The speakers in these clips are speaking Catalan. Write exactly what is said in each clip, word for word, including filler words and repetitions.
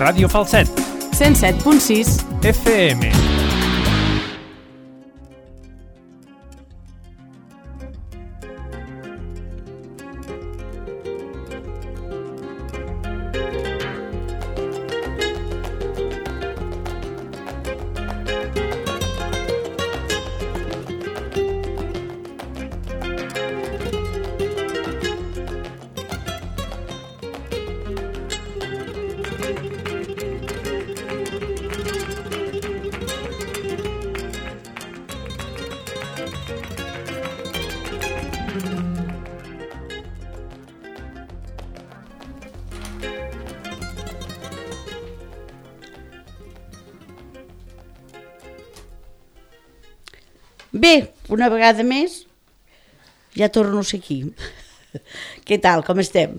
Ràdio Falset. cent set punt sis F M. Bé, una vegada més, ja torno a ser aquí. Què tal, com estem?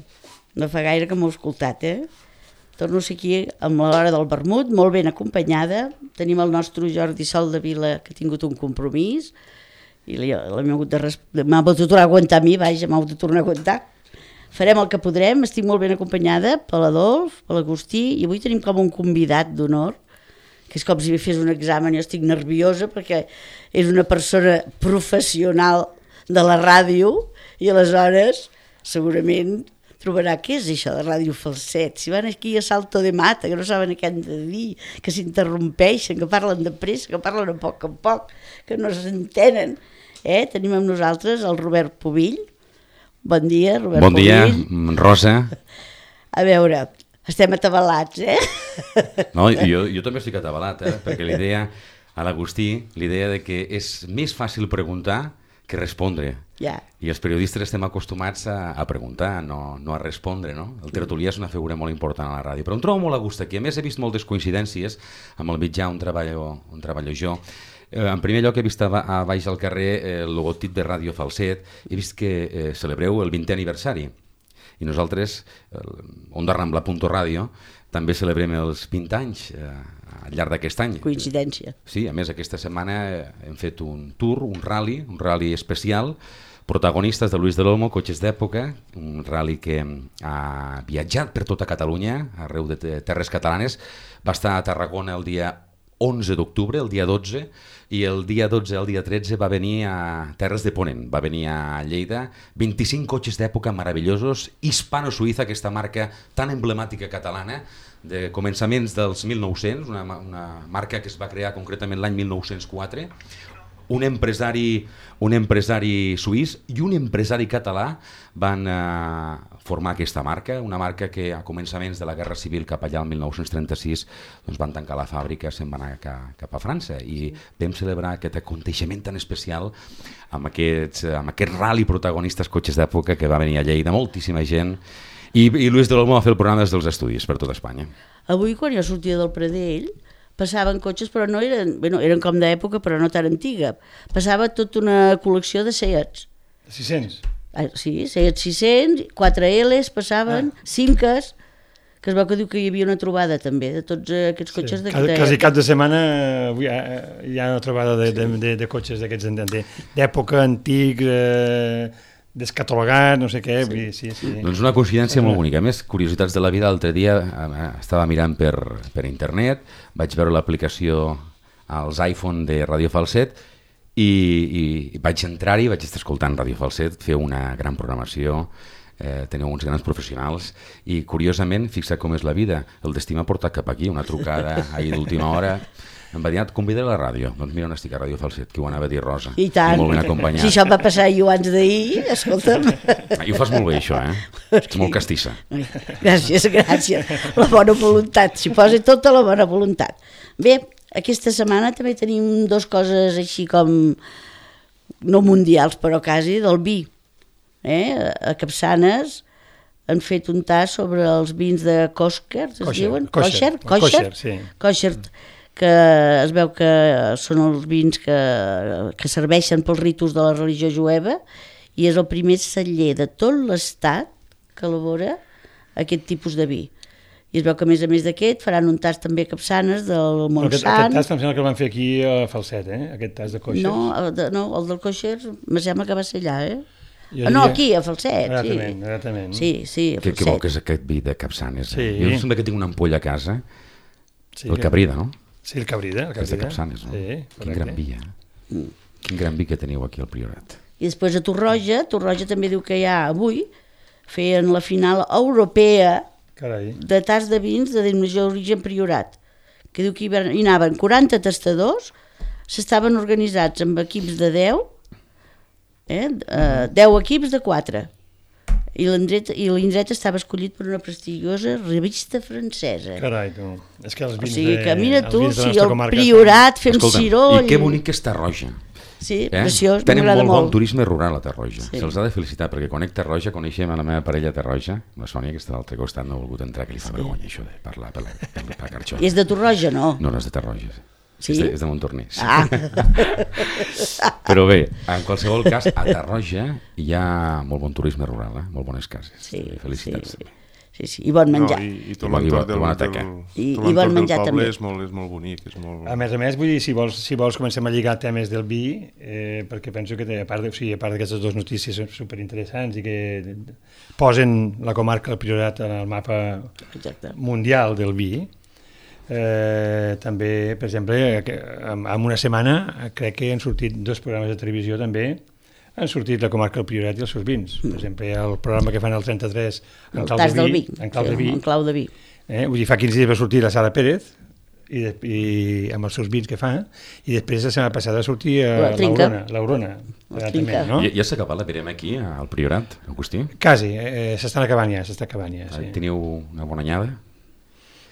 No fa gaire que m'ho he escoltat, eh? Torno a ser aquí amb l'hora del vermut, molt ben acompanyada. Tenim el nostre Jordi Soldevila, que ha tingut un compromís, i m'ha hagut de, res... de tornar a aguantar a mi, vaja, m'ha hagut de tornar a aguantar. Farem el que podrem, estic molt ben acompanyada per l'Adolf, per l'Agustí, i avui tenim com un convidat d'honor, que és com si fes un examen, jo estic nerviosa perquè és una persona professional de la ràdio i aleshores segurament trobarà què és això de Ràdio Falset. Si van aquí a salto de mata, que no saben què han de dir, que s'interrompeixen, que parlen de pressa, que parlen a poc a poc, que no s'entenen. Eh? Tenim amb nosaltres el Robert Pubill. Bon dia, Robert bon dia, Pubill. Rosa. A veure, estem atabalats, eh? No, jo, jo també estic atabalat, eh? Perquè l'idea, a l'Agustí, l'idea de que és més fàcil preguntar que respondre. Ja. I els periodistes estem acostumats a, a preguntar, no, no a respondre, no? El tertulià és una figura molt important a la ràdio, però em trobo molt a gust aquí. A més, he vist moltes coincidències amb el mitjà on treballo, on treballo jo. Eh, en primer lloc, he vist a, a baix al carrer eh, el logotip de Ràdio Falset. He vist que eh, celebreu el vintè aniversari. I nosaltres, Onda Rambla punto radio, també celebrem els vint anys eh, al llarg d'aquest any. Coincidència. Sí, a més aquesta setmana hem fet un tour, un rally, un rally especial, protagonistes de Luis de l'Olmo, Cotxes d'època, un rally que ha viatjat per tota Catalunya, arreu de terres catalanes, va estar a Tarragona el dia onze d'octubre, el dia dotze, i el dia dotze al dia tretze va venir a Terres de Ponent, va venir a Lleida, vint-i-cinc cotxes d'època meravellosos, Hispano-Suïssa, aquesta marca tan emblemàtica catalana, de començaments dels mil nou-cents, una, una marca que es va crear concretament l'any mil nou-cents quatre, un empresari, un empresari suís i un empresari català van eh, formar aquesta marca, una marca que a començaments de la Guerra Civil cap allà al mil nou-cents trenta-sis doncs van tancar la fàbrica, se'n van anar cap, cap a França i vam celebrar aquest aconteixement tan especial amb aquests, amb aquest rally protagonistes cotxes d'època que va venir a Lleida, moltíssima gent, i, i Luis de l'Olmo va fer el programa des dels estudis per tota Espanya. Avui quan jo sortia del Pradell passaven cotxes, però no eren, bueno, eren com d'època, però no tan antiga. Passava tota una col·lecció de Seats. sis-cents? Ah, sí, Seat sis-cents, quatre L's passaven, ah. Simcas, que es veu que diu que hi havia una trobada també de tots aquests cotxes. Sí. De... Quasi cap de setmana hi ha, hi ha una trobada de, de, de, de cotxes d'aquests d'època, antics, eh, descatalogat, no sé què. Sí. Sí, sí. Doncs una coincidència molt bonica. A més, curiositats de la vida, l'altre dia eh, estava mirant per, per internet, vaig veure l'aplicació als iPhone de Ràdio Falset i, i, i vaig entrar-hi, vaig estar escoltant Ràdio Falset, fer una gran programació, eh, teniu uns grans professionals i curiosament, fixa com és la vida, el destí m'ha portat cap aquí, una trucada ahir d'última hora. Em va dir, et convidaré a la ràdio. Doncs mira on estic a Ràdio Falset, que ho anava a dir Rosa. I tant. I molt ben acompanyat. Si això em va passar jo abans d'ahir, escolta'm. Ah, i ho fas molt bé, això, eh? Ets molt castissa. Gràcies, gràcies. La bona voluntat, s'hi posa tota la bona voluntat. Bé, aquesta setmana també tenim dues coses així com, no mundials, però quasi, del vi. Eh? A Capçanes han fet un tas sobre els vins de Kosher, es Kosher, diuen? Kosher, Kosher, Kosher, sí. Kosher, que es veu que són els vins que, que serveixen pels ritus de la religió jueva i és el primer celler de tot l'estat que elabora aquest tipus de vi. I es veu que a més a més d'aquest faran un tas també a Capçanes del Montsant. Aquest, aquest tas em sembla que el van fer aquí a Falset, eh? Aquest tas de Kosher. No, de, no el del Kosher me sembla que va ser allà, eh? Jo Ah, no, diria- aquí, a Falset, sí. Exactament, exactament. Sí, sí, a Que, que bo Falset. que és aquest vi de Capçanes. Sí. Eh? Jo sembla que tinc una ampolla a casa, Sí, el que- Cabrida, no? Sí, el Cabrida. El Que és de Cabrida. Capçanes, no? Sí, Quin correcte. gran vi, eh? Quin gran vi que teniu aquí al Priorat. I després a Torroja, Torroja també diu que ja avui feien la final europea Carai. de tas de vins de denominació d'origen Priorat, que diu que hi, van, hi anaven quaranta tastadors, s'estaven organitzats amb equips de deu, eh, eh, deu equips de quatre, i l'indret i l'indret estava escollit per una prestigiosa revista francesa. Carai, tu. És que els O vins sigui de, que mira els tu, vins de la si nostra el comarca Priorat fem Escolta'm, ciroll... i que bonic que és Tarroja. Sí, Eh? preciós, Tenen m'agrada molt bon molt. turisme rural a Tarroja. Sí. Se'ls ha de felicitar, perquè conec Tarroja, coneixem a la meva parella a Tarroja, la Sònia, que està a l'altre costat, no ha volgut entrar, que li fa vergonya això de parlar per la, per la, per la carxola. I és de Torroja, no? No, no és de Tarroja. Sí? És de, és de Montornès. Ah, Però bé, en qualsevol cas, a Tarroja hi ha molt bon turisme rural, eh? Molt bones cases. sí, Felicitats. sí, sí, sí, i bon menjar. No, i, i tot I bon- i l'entorn bon- del, i bona del, teca. I- tot i bon l'entorn del menjar poble també. és molt, és molt bonic. És molt... A més a més, vull dir, si vols, si vols comencem a lligar temes del vi, eh, perquè penso que, té, a part de- o sigui, a part d'aquestes dues notícies superinteressants i que posen la comarca del Priorat en el mapa Exacte. mundial del vi, eh, també, per exemple, que en, en una setmana crec que han sortit dos programes de televisió també, han sortit la comarca del Priorat i els seus vins. Per exemple, el programa que fan al trenta-tres en El clau tas de del vi, vi. en clau de Sí, vi, en clau de vi. eh? Vull dir, fa quinze dies va sortir la Sara Pérez i, de, i amb els seus vins que fa, i després la setmana passada va sortir La a Trinca. l'Aurona, l'Aurona, La també, Trinca. no? Ja, ja s'ha acabat la verema aquí, al Priorat, Agustí? Quasi, eh, s'estan acabant ja, s'està acabant ja, sí. Teniu una bona anyada?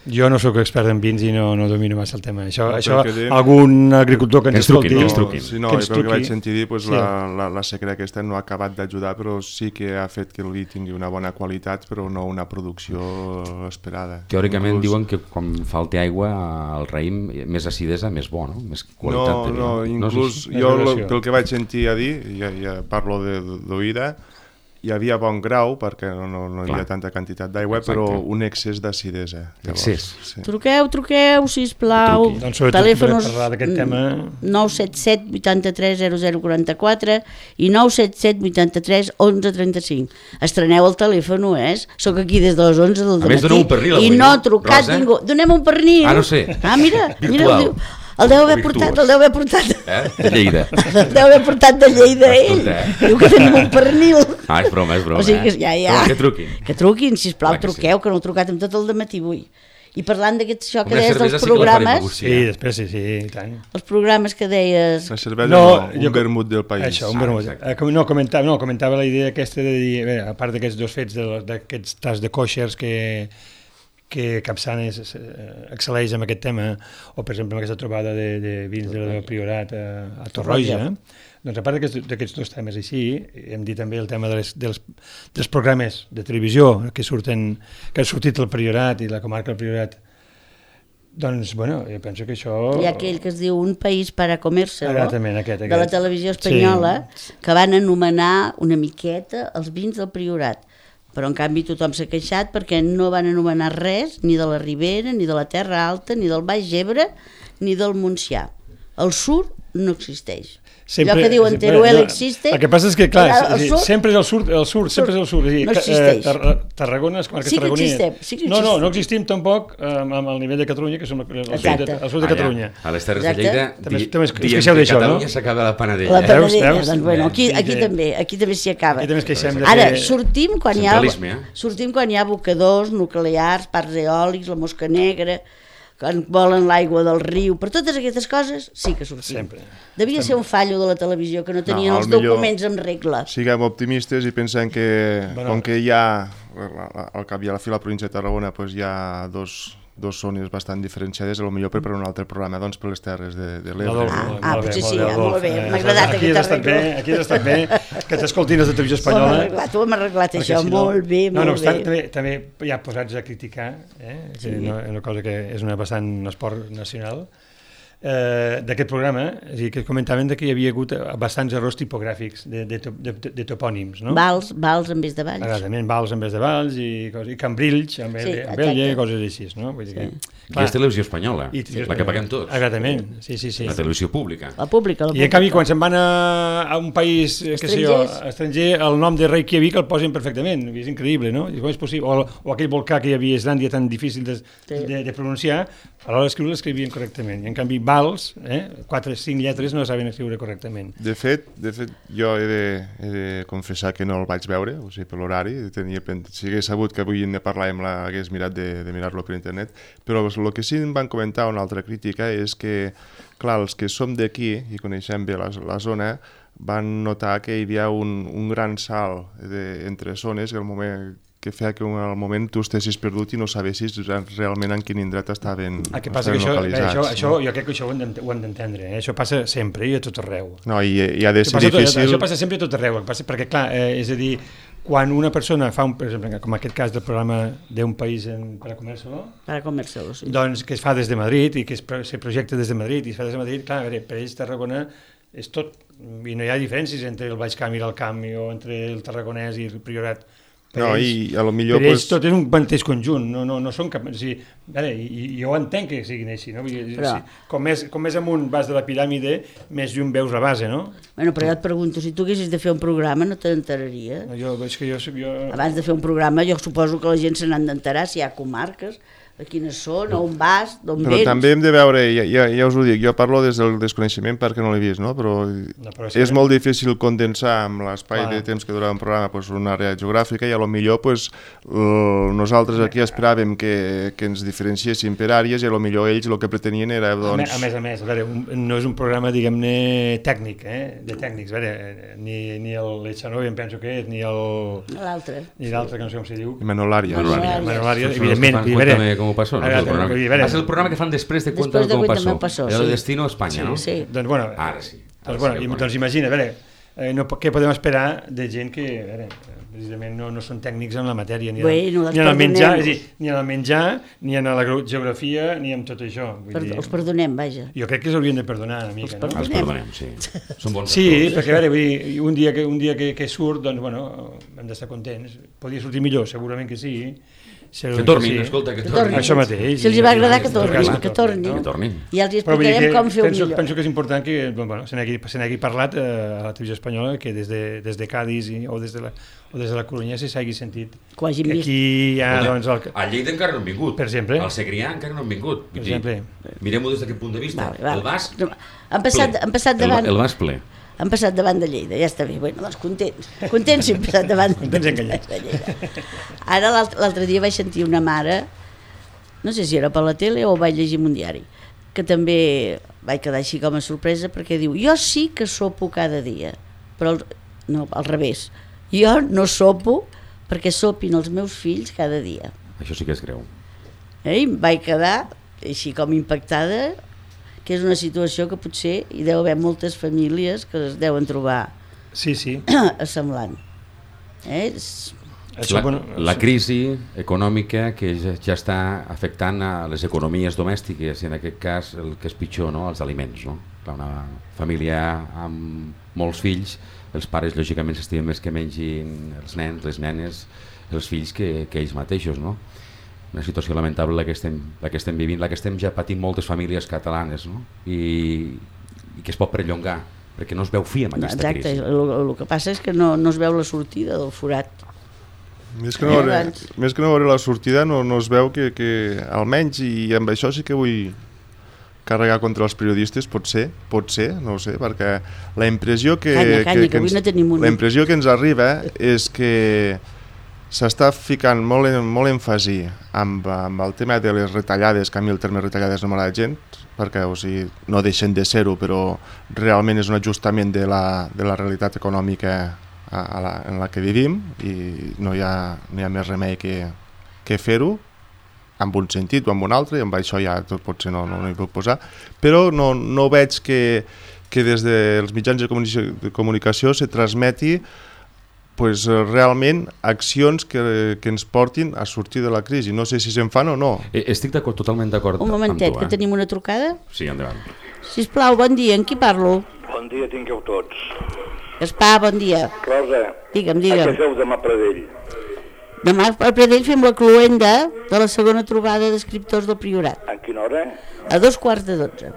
Jo no sóc expert en vins i no, no domino massa el tema. Això, No, això perquè de- algun agricultor que ens, Que ens truquin, escolti... que ens truquin. Sí, no, que i ens pel que truqui. vaig sentir dir, pues, Sí. la, la, la sequera aquesta no ha acabat d'ajudar, però sí que ha fet que el vi tingui una bona qualitat, però no una producció esperada. Teòricament Inclús- diuen que quan falti aigua al raïm, més acidesa, més bo, no? Més qualitat No, de vi. no, inclús sí, sí. És jo relació. lo, pel que vaig sentir a dir, ja, ja parlo de- d'oïda, hi havia bon grau perquè no, no, no hi Clar. havia tanta quantitat d'aigua, Exacte. però un excés d'acidesa. llavors, Excés. Sí. Truqueu, truqueu, sisplau. Truqui. Doncs sobretot Telèfonos per parlar d'aquest tema... nou set set vuitanta-tres zero zero quaranta-quatre i nou set set vuitanta-tres onze trenta-cinc. Estreneu el telèfon, eh? Soc aquí des de les onze del A més, dematí doneu un pernil i avui, no no? ha trucat Rosa? ningú. Donem un pernil. Ah, no sé. Ah, mira, mira, Virtual. el, diu, el deu haver Virtuós. portat, el deu haver portat. Eh? De Lleida. El deu haver portat de Lleida ell. Escolta, eh? Diu que tenim un pernil. Ah, és broma, és broma. O sigui que eh? ja, ja. Però que truquin. Que truquin, sisplau, Clar que sí. truqueu, que no heu trucat amb tot el dematí avui. I parlant d'aquest això que Una deies cervesa dels sí que la farem, programes, Agustí. Sí, després sí, sí, i tant. els programes que deies... La cervesa No, no, un jo- vermut del país. Això, un Ah, vermut. exacte. Eh, com- no, comentava, no, comentava la idea aquesta de dir, bé, a part d'aquests dos fets, de- d'aquests tas de coixers que, que Capçanes eh, excel·leix amb aquest tema, o per exemple amb aquesta trobada de, de vins del Priorat a, a Torroja, eh? Doncs a part d'aquests d'aquests dos temes així, hem dit també el tema de les, dels, dels programes de televisió que surten, que han sortit al Priorat i la comarca del Priorat. Doncs, bueno, jo penso que això... Hi ha aquell que es diu Un país para comérselo, Exactament, aquest, de la aquest. televisió espanyola, que van anomenar una miqueta els vins del Priorat. Però en canvi tothom s'ha queixat perquè no van anomenar res, ni de la Ribera, ni de la Terra Alta, ni del Baix Ebre, ni del Montsià. El Sur no existeix. Allò que diuen sempre- Teruel no, existe... El que passa és que, clar, el és, sur- sempre és el sud, el sud, sempre és el sud. És a dir, No que, existeix. Eh, Tar Tarragona, les comarques Sí que tarragonines. existem, sí que No, no, existem. no existim tampoc eh, amb, amb el nivell de Catalunya, que som el, el, sud, de, Exacte. el sud de Catalunya. Allà, a les Terres Exacte. de Lleida, També- di- també us- us diem queixeu que d'això, no? Catalunya s'acaba la panadella. La eh? panadella, veus? doncs bueno, aquí, Sí, aquí que- també, aquí també s'hi acaba. Aquí també ens queixem de Ara, que... sortim quan hi ha, Centralisme, eh? sortim quan hi ha abocadors, nuclears, parcs eòlics, la mosca negra, quan volen l'aigua del riu, per totes aquestes coses sí que sortim. Sempre. Devia ser un fallo de la televisió, que no tenien No, els al millor- documents en regla. Siguem optimistes i pensem que, Bueno. com que hi ha, al cap i a la fi la província de Tarragona, pues hi ha dos, dos zones bastant diferenciades, potser per per un altre programa, doncs per les terres de, de l'Ebre. Adolfo, Ah, molt ah, bé, potser molt sí, bé, ah, Adolf. molt bé, Eh, m'ha agradat aquí aquest has estat arreglo. bé, aquí has estat bé, que t'escoltin els de televisió Ho hem espanyola. arreglat, ho hem arreglat perquè això, si no- molt bé, no, no molt obstant, bé. també, també ja posats a criticar, eh, que Sí. no, és una cosa que és una bastant un esport nacional, eh, d'aquest programa, és a dir, que comentaven que hi havia hagut bastants errors tipogràfics de, de, de, de topònims, no? Vals, vals en vez de valls. Exactament, Vals en vez de Valls i, coses, i Cambrills en vez Sí, de Abella, exacte. i coses així, no? Vull dir que, I és televisió espanyola, I televisió la que espanyola. paguem tots. Exactament, sí, sí, sí. La televisió pública. La pública, la I pública. en canvi, quan se'n van a, a un país, eh, què sé jo, Estrangers. estranger, el nom de Reykjavik el posen perfectament, és increïble, no? I com és possible? O, o aquell volcà que hi havia a Islàndia tan difícil de, Sí. de, de pronunciar, a l'hora d'escriure l'escrivien correctament. I en canvi, Vals, eh, quatre, cinc lletres no saben escriure correctament. De fet, de fet jo he de, he de confessar que no el vaig veure, o sigui, per l'horari, tenia pen... si hagués sabut que avui ne parlàvem, la, hagués mirat de, de mirar-lo per internet, però el que sí em van comentar una altra crítica és que, clar, els que som d'aquí i coneixem bé la, la zona, van notar que hi havia un, un gran salt de, entre zones que al moment que feia que al moment tu estessis perdut i no sabessis realment en quin indret estaven, El que passa que estaven això, bé, localitzats. això, això, no? jo crec que això ho hem d'ent- ho hem d'entendre, eh? Això passa sempre i a tot arreu. No, i, i ha de Això ser passa, tot, difícil... això passa sempre a tot arreu, el que passa, perquè clar, eh, és a dir, quan una persona fa, un, per exemple, com aquest cas del programa d'un país en, per a comer-se-lo, Per a comer-se-lo, sí. doncs que es fa des de Madrid i que es, pro- se projecta des de Madrid i es fa des de Madrid, clar, a veure, per ells Tarragona és tot, i no hi ha diferències entre el Baix Camp i l'Alt Camp o entre el Tarragonès i el Priorat. Per No, ells, i a lo millor... per ells Pues, tot és un mateix conjunt, no, no, no són cap... O sigui, veure, i, i jo entenc que siguin així, no? Vull dir, Però- si, com, més, com més amunt vas de la piràmide, més lluny veus la base, no? Bueno, però jo et pregunto, si tu haguessis de fer un programa no te n'enteraries? No, jo, és que jo, soc- jo... Abans de fer un programa jo suposo que la gent se n'han d'enterar si hi ha comarques, a quines són, on vas, d'on Però vens. també hem de veure, ja, ja, ja us ho dic, jo parlo des del desconeixement perquè no l'he vist, no? Però, No, però és és que- molt difícil condensar amb l'espai Clar. de temps que dura un programa pues, una àrea geogràfica i a lo millor pues, l- nosaltres aquí esperàvem que, que ens diferenciéssim per àrees i a lo millor ells el que pretenien era A, me, doncs... a més a més, a veure, un, no és un programa, diguem-ne, tècnic, eh? de tècnics, a veure, ni, ni el Echanove em penso que és, ni el L'altre. ni l'altre, que no sé com se diu. Manolària. Manolària. Manolària, Són els que evidentment. fan i a veure, Cuéntame cómo pasó, no? a veure, És el programa. vull dir, a veure, Va ser el programa que fan després de Després Cuéntame de cómo Cuéntame pasó. pasó, Era de sí. Destino a Espanya, no? Sí. Doncs, bueno, Ara sí. Ara doncs, bueno, sí, i, ja ho doncs imagina, a veure, eh, no, què podem esperar de gent que, a veure, precisament no, no són tècnics en la matèria, ni, Bueno, en, les ni en el menjar, perdonem. és a dir, ni en el menjar, ni en la gro- geografia, ni en tot això. Vull Per, dir, els perdonem, vaja. jo crec que s'haurien de perdonar una mica, Els no? perdonem. Els perdonem, sí. Són bons Sí, actors. perquè a veure, vull dir, un dia que, un dia que, que surt, doncs, bueno, hem d'estar contents. Podria sortir millor, segurament que sí. Que tornin, escolta, que tornin. Això mateix. Si els hi va agradar, que En tot tornin, cas, que tornin. Que tornin. I els hi Però vull dir explicarem que com fer-ho penso, millor. penso que és important que bueno, se n'hagi se n'hagi parlat eh, a la televisió espanyola, que des de, des de Cádiz i, o, des de la, o des de la Corunya se s'hagi sentit Que ho hagin que vist. aquí hi ha, Escolta, doncs, el, A Lleida encara no han vingut. Per exemple. Al Segrià encara no han vingut. Vull Per dir, exemple. Mirem-ho des d'aquest punt de vista. Vale, vale. El Basc, Han passat, ple. han passat El, davant... el Basc ple. Han passat davant de Lleida, ja està bé. Bueno, doncs contents. Contents si han passat davant Contents i enganyats. de Lleida. Ara l'alt- l'altre dia vaig sentir una mare, no sé si era per la tele o ho vaig llegir en un diari, que també vaig quedar així com a sorpresa perquè diu, jo sí que sopo cada dia, però el, no, al revés. Jo no sopo perquè sopin els meus fills cada dia. Això sí que és greu. Eh? I em vaig quedar així com impactada, que és una situació que potser hi deu haver moltes famílies que es deuen trobar sí, sí. semblant. Eh? És- Això, La, bueno, la crisi econòmica que ja, ja està afectant a les economies domèstiques i en aquest cas el que és pitjor, no? Els aliments. No? Clar, una família amb molts fills, els pares lògicament s'estimen més que mengin els nens, les nenes, els fills que, que ells mateixos. No? Una situació lamentable la que, estem, la que estem vivint, la que estem ja patint moltes famílies catalanes, no? I, i que es pot perllongar perquè no es veu fi amb aquesta Exacte, crisi. el, el que passa és que no, no es veu la sortida del forat. Més que no veure, més que no veure la sortida no, no es veu que, que almenys, i amb això sí que vull carregar contra els periodistes, pot ser, pot ser, no ho sé, perquè la impressió que, Canya, canya, que que, avui ens, no tenim un- la impressió que ens arriba és que s'està ficant molt, en, molt èmfasi amb, amb el tema de les retallades, que a mi el terme retallades no m'agrada gens, perquè o sigui, no deixen de ser-ho, però realment és un ajustament de la, de la realitat econòmica a, a la, en la que vivim i no hi ha, no hi ha més remei que, que fer-ho amb un sentit o amb un altre, i amb això ja tot potser no, no, no hi puc posar, però no, no veig que, que des dels mitjans de comunicació, de comunicació se transmeti pues, realment accions que, que ens portin a sortir de la crisi. No sé si se'n fan o no. Eh, Estic d'acord, totalment d'acord Un amb momentet, tu, que eh? tenim una trucada. Sí, endavant. Sisplau, bon dia, amb qui parlo? Bon dia tingueu tots. Gaspar, bon dia. Rosa, Digue'm, a digue'm. què feu demà a Pradell? Demà a Pradell fem la cloenda de la segona trobada d'escriptors del Priorat. A quina hora? A dos quarts de dotze.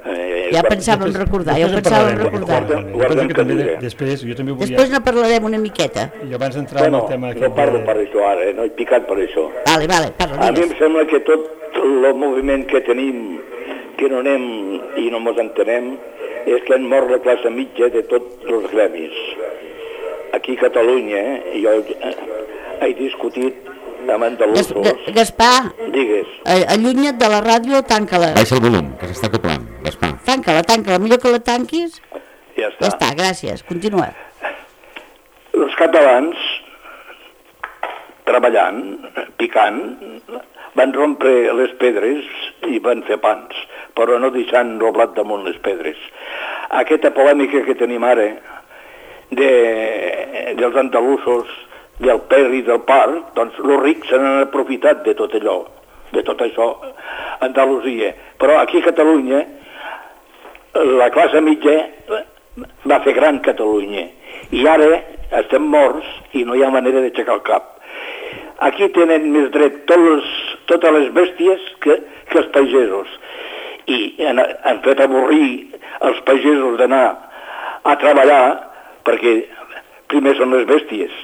Eh, Ja pensàvem recordar, ja ho pensàvem recordar. Guardem que diré. Després, jo també volia... Després ne parlarem una miqueta. I abans d'entrar en Bueno, el tema... no parlo per això ara, eh? No he picat per això. Vale, vale, parla, A mi em digues. sembla que tot el moviment que tenim, que no anem i no mos entenem, és que han mort la classe mitja de tots els gremis. Aquí a Catalunya, eh, jo eh, he discutit amb Gas, andalusos. Ga- Gaspar, Digues, eh, allunya't de la ràdio, tanca-la. Baixa el volum, que s'està acoplant, Gaspar. Tanca-la, tanca-la, millor que la tanquis. ja Ja està. està, gràcies, continua. Els catalans, treballant, picant, van rompre les pedres i van fer pans, però no deixant roblat damunt les pedres. Aquesta polèmica que tenim ara de, dels andalusos, del per i del par, doncs els rics se n'han aprofitat de tot allò, de tot això, Andalusia. Però aquí a Catalunya, la classe mitja va fer gran Catalunya. I ara estem morts i no hi ha manera d'aixecar el cap. Aquí tenen més dret tots les, totes les bèsties que, que els pagesos. I han, han fet avorrir els pagesos d'anar a treballar perquè primer són les bèsties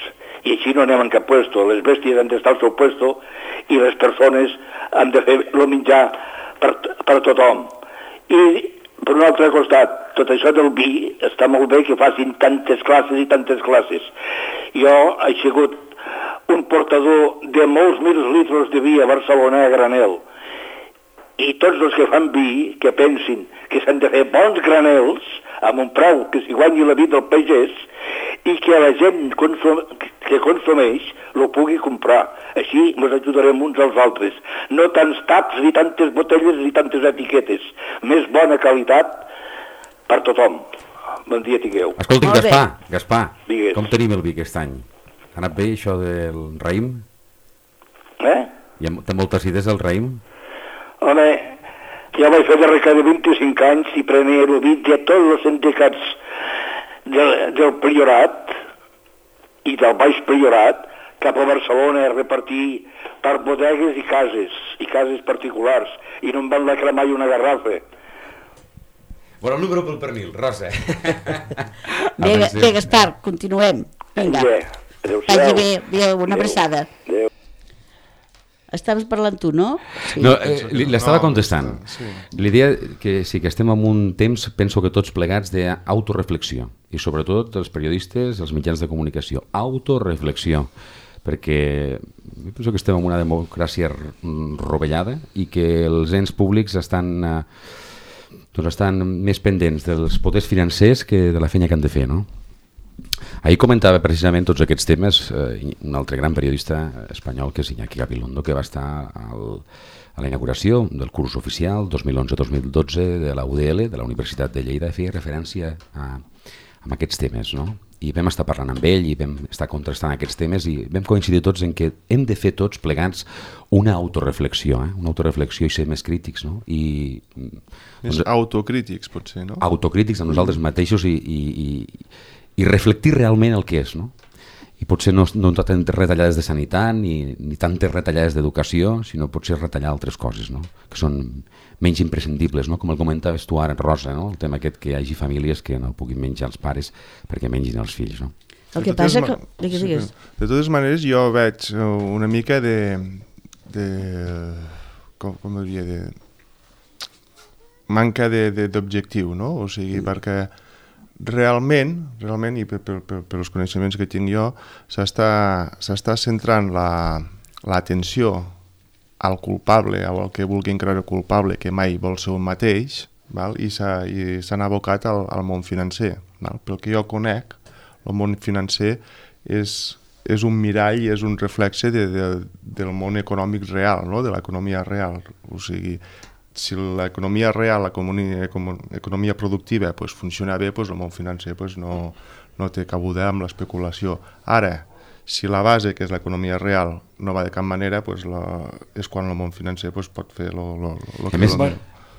i així no anem en cap puesto. Les bèsties han d'estar al seu puesto i les persones han de fer el menjar per, per tothom. I per un altre costat, tot això del vi està molt bé que facin tantes classes i tantes classes. Jo he sigut un portador de molts mil litres de vi a Barcelona a granel. I tots els que fan vi, que pensin que s'han de fer bons granels amb un preu que s'hi guanyi la vida del pagès i que la gent consum que consumeix lo pugui comprar. Així ens ajudarem uns als altres. No tants taps ni tantes botelles ni tantes etiquetes. Més bona qualitat per tothom. Bon dia tingueu. Escolti'm, Molt bé. Gaspar, Gaspar, Digues. com tenim el vi aquest any? Ha anat bé això del raïm? Eh? Hi ha, té moltes idees el raïm? Home, jo vaig fer darrere de vint-i-cinc anys i prenia el vi de tots els sindicats del, del Priorat i del Baix Priorat cap a Barcelona a repartir per bodegues i cases, i cases particulars, i no em van lacrar mai una garrafa. Bueno, el número pel pernil, Rosa. Bé, Ga- bé, Gaspar, continuem. Vinga, Bé, adéu-siau. vagi bé, bé, una Adéu. abraçada. Adéu. Estaves parlant tu, no? Sí. No, eh, li- l'estava No, contestant. sí. L'idea que sí que estem en un temps, penso que tots plegats, d'autoreflexió, i sobretot els periodistes, els mitjans de comunicació. Autoreflexió, perquè jo penso que estem en una democràcia r- rovellada i que els ens públics estan, eh, doncs estan més pendents dels poders financers que de la feina que han de fer, no? Ahir comentava precisament tots aquests temes eh, un altre gran periodista espanyol que és Iñaki Gabilondo, que va estar al, a la inauguració del curs oficial dos mil onze dos mil dotze de la U D L, de la Universitat de Lleida, feia referència a, a aquests temes, no? I vam estar parlant amb ell i vam estar contrastant aquests temes i vam coincidir tots en que hem de fer tots plegats una autoreflexió, eh? una autoreflexió i ser més crítics, no? I, Més autocrítics, potser, no? autocrítics amb nosaltres mateixos i, i, i, i reflectir realment el que és, no? I potser no, no tantes retallades de sanitat ni, ni tantes retallades d'educació, sinó potser retallar altres coses, no? Que són menys imprescindibles, no? Com el comentaves tu ara, Rosa, no? El tema aquest que hi hagi famílies que no puguin menjar els pares perquè mengin els fills, no? El De que totes passa ma- que... Digues, sí, digues. De totes maneres, jo veig eh, una mica de... de com, com diria? De, manca de- de- d'objectiu, no? O sigui, mm. perquè realment, realment i per, per, per, per els coneixements que tinc jo, s'està centrant la, l'atenció al culpable, o al que vulguin creure culpable, que mai vol ser un mateix, val? I s'han abocat al, al món financer. Val? Pel que jo conec, el món financer és, és un mirall i és un reflexe de, de, del món econòmic real, no? De l'economia real. O sigui, si l'economia real, l'economia economia productiva pues, funciona bé, pues, el món financer pues, no, no té cabuda amb l'especulació. Ara, si la base, que és l'economia real, no va de cap manera, pues, la, és quan el món financer pues, pot fer lo, lo, lo A més, lo,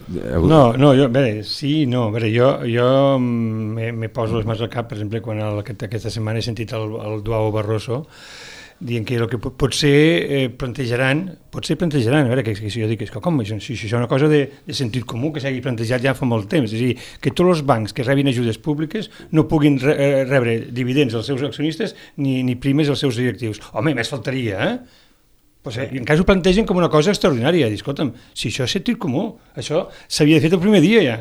No, no, jo, a veure, sí, no, a veure, jo, jo me, me poso les mans al cap, per exemple, quan el, aquest, aquesta setmana he sentit el, el Duao Barroso dient que el que pot, potser eh, plantejaran, potser plantejaran, a veure, que, que si jo dic, que com, si, si això és una cosa de, de sentit comú que s'hagi plantejat ja fa molt temps, és a dir, que tots els bancs que rebin ajudes públiques no puguin re, rebre dividends als seus accionistes ni, ni primes als seus directius. Home, més faltaria, eh? Pues, eh, en cas ho plantegen com una cosa extraordinària. Dir, escolta'm, si això és sentit comú, això s'havia fet el primer dia ja.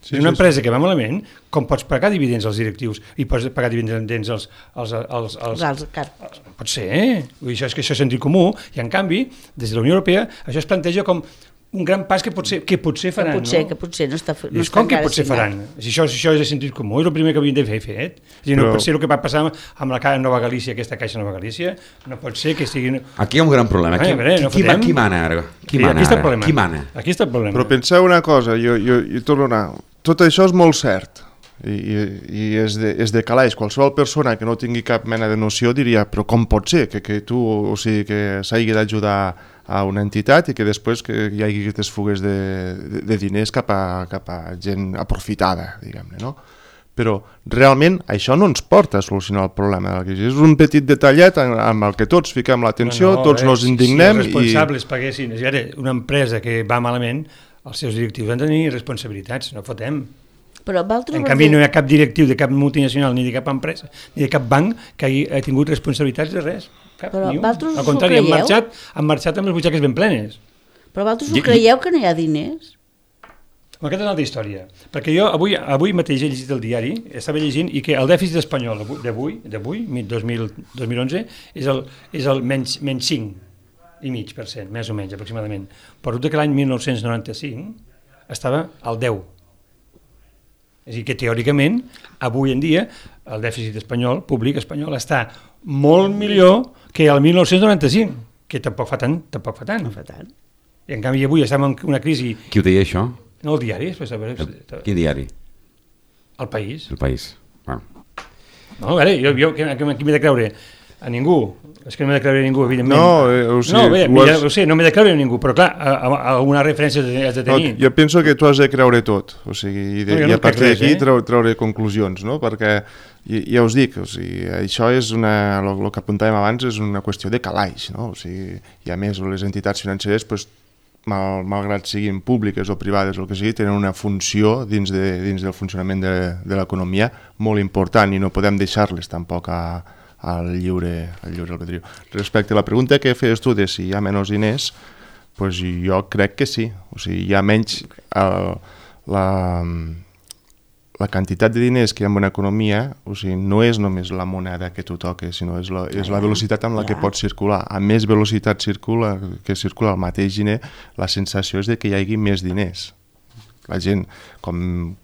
Sí, és una sí, empresa sí. que va malament, com pots pagar dividends als directius i pots pagar dividends als... als, als, als, als, als pot ser, eh? Vull dir, això és que això és sentit comú, i en canvi, des de la Unió Europea, això es planteja com un gran pas que potser, que potser faran, que potser, no? Que potser no està, no és està com que potser faran? Si això, si això és de sentit comú, és el primer que havien de fer fet. És dir, no Però... pot ser el que va passar amb la Nova Galícia, aquesta Caixa Nova Galícia, no pot ser que estiguin... Aquí hi ha un gran problema. Qui, veure, no qui, qui mana ara? Qui mana aquí està ara? Qui mana? Aquí està el problema. Però penseu una cosa, jo, jo, jo torno a anar... Tot això és molt cert i, i, i és, de, és de calaix. Qualsevol persona que no tingui cap mena de noció diria, però com pot ser que, que tu, o sigui, que s'hagi d'ajudar a una entitat i que després que hi hagi aquestes fugues de, de, de diners cap a, cap a gent aprofitada, diguem-ne, no? Però realment això no ens porta a solucionar el problema de la crisi. És un petit detallet amb el que tots fiquem l'atenció, no, no, tots eh, nos indignem. Si, si els responsables i... paguessin, és dir, una empresa que va malament, els seus directius han de tenir responsabilitats, no fotem. Però en canvi no hi ha cap directiu de cap multinacional ni de cap empresa, ni de cap banc que hagi tingut responsabilitats de res. Cap, però vosaltres al contrari, han marxat, han marxat amb les butxaques ben plenes. Però vosaltres ho creieu que no hi ha diners? Aquesta és una altra història, perquè jo avui, avui mateix he llegit el diari, estava llegint, i que el dèficit espanyol d'avui, d'avui, dos mil onze, és el, és el menys, menys cinc i mig per cent, més o menys, aproximadament. Però que l'any mil nou-cents noranta-cinc estava al deu. És a dir, que teòricament, avui en dia, el dèficit espanyol, públic espanyol, està molt millor que el mil nou-cents noranta-cinc, que tampoc fa tant, tampoc fa tant. No fa tant. I en canvi avui estem en una crisi... Qui ho deia, això? No, el diari. El, quin diari? El País. El País. Ah. No, a veure, jo, jo qui, qui m'he de creure? A ningú. És que no m'he de creure a ningú, evidentment. No, eh, o sigui, no bé, has... ja, ho sé, no m'he de creure a ningú, però clar, a, a, a alguna referència has de tenir. No, jo penso que tu has de creure tot, o sigui, i, de, no, no i a partir d'aquí eh? treure, treure conclusions, no? Perquè, ja, ja us dic, o sigui, això és una, el que apuntàvem abans és una qüestió de calaix, no? O sigui, i a més les entitats financeres, pues, mal, malgrat siguin públiques o privades o el que sigui, tenen una funció dins, de, dins del funcionament de, de l'economia molt important i no podem deixar-les tampoc a, al lliure, al lliure albedrío. Respecte a la pregunta que feies tu de si hi ha menys diners, pues jo crec que sí. O sigui, hi ha menys... El, la, la quantitat de diners que hi ha en una economia, o sigui, no és només la moneda que tu toques, sinó és la, és la velocitat amb la que pot circular. A més velocitat circula, que circula el mateix diner, la sensació és de que hi hagi més diners. La gent, com,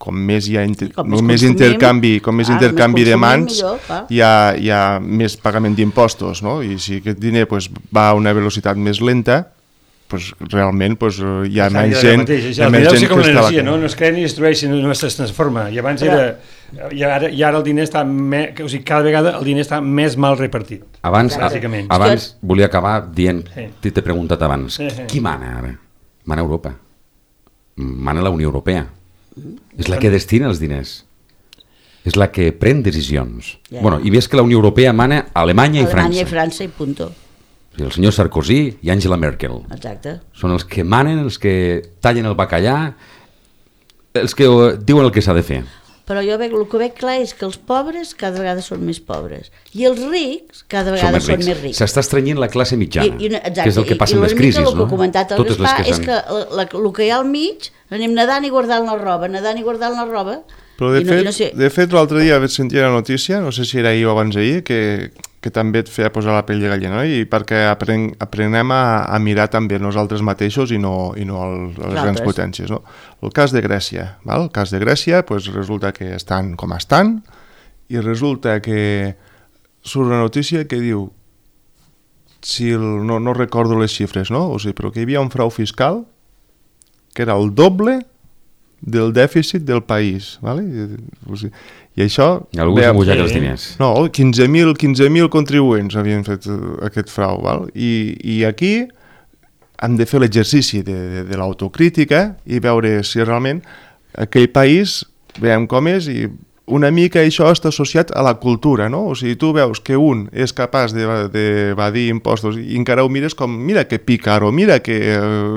com més hi ha inter, com més, més intercanvi, com més ah, intercanvi més de mans, millor, hi, ha, hi ha més pagament d'impostos, no? I si aquest diner pues, va a una velocitat més lenta, pues, realment pues, hi ha menys gent, hi ha menys gent que està... No? no es crea ni destrueix, sinó no es transforma. I abans era... I ara, i ara el diner està més, o sigui, cada vegada el diner està més mal repartit. Abans, bàsicament. Abans volia acabar dient, sí. T'he preguntat abans, sí, sí. Qui mana ara? Mana Europa. Mana la Unió Europea. Mm. És la que destina els diners. És la que pren decisions. Yeah. Bueno, i ves que la Unió Europea mana Alemanya, Alemanya i França. Alemanya i França i punto. El senyor Sarkozy i Angela Merkel. Exacte. Són els que manen, els que tallen el bacallà, els que diuen el que s'ha de fer. Però jo veig, el que veig clar és que els pobres cada vegada són més pobres i els rics cada vegada són, són més rics. S'està estrenyint la classe mitjana, I, i, exacte, que és el que passa i, amb les crisis. El que no? ha comentat el Gaspar és que el que hi ha al mig anem nedant i guardant la roba, nedant i guardant la roba. Però de no, fet, no sé... de fet l'altre dia vaig sentir la notícia, no sé si era ahir o abans d'ahir, que, que també et feia posar la pell de gallina, no? I perquè apren, aprenem a, a mirar també nosaltres mateixos i no, i no el, les grans potències. No? El cas de Grècia, val? El cas de Grècia pues, resulta que estan com estan i resulta que surt una notícia que diu, si el, no, no recordo les xifres, no? O sigui, però que hi havia un frau fiscal que era el doble del dèficit del país, ¿vale? O sigui, i això... I algú s'ha mullat els diners. No, quinze mil contribuents havien fet aquest frau, ¿vale? I, i aquí hem de fer l'exercici de, de, de l'autocrítica i veure si realment aquell país, veiem com és, i una mica això està associat a la cultura, no? O sigui, tu veus que un és capaç d'evadir impostos i encara ho mires com, mira que pícaro, mira que,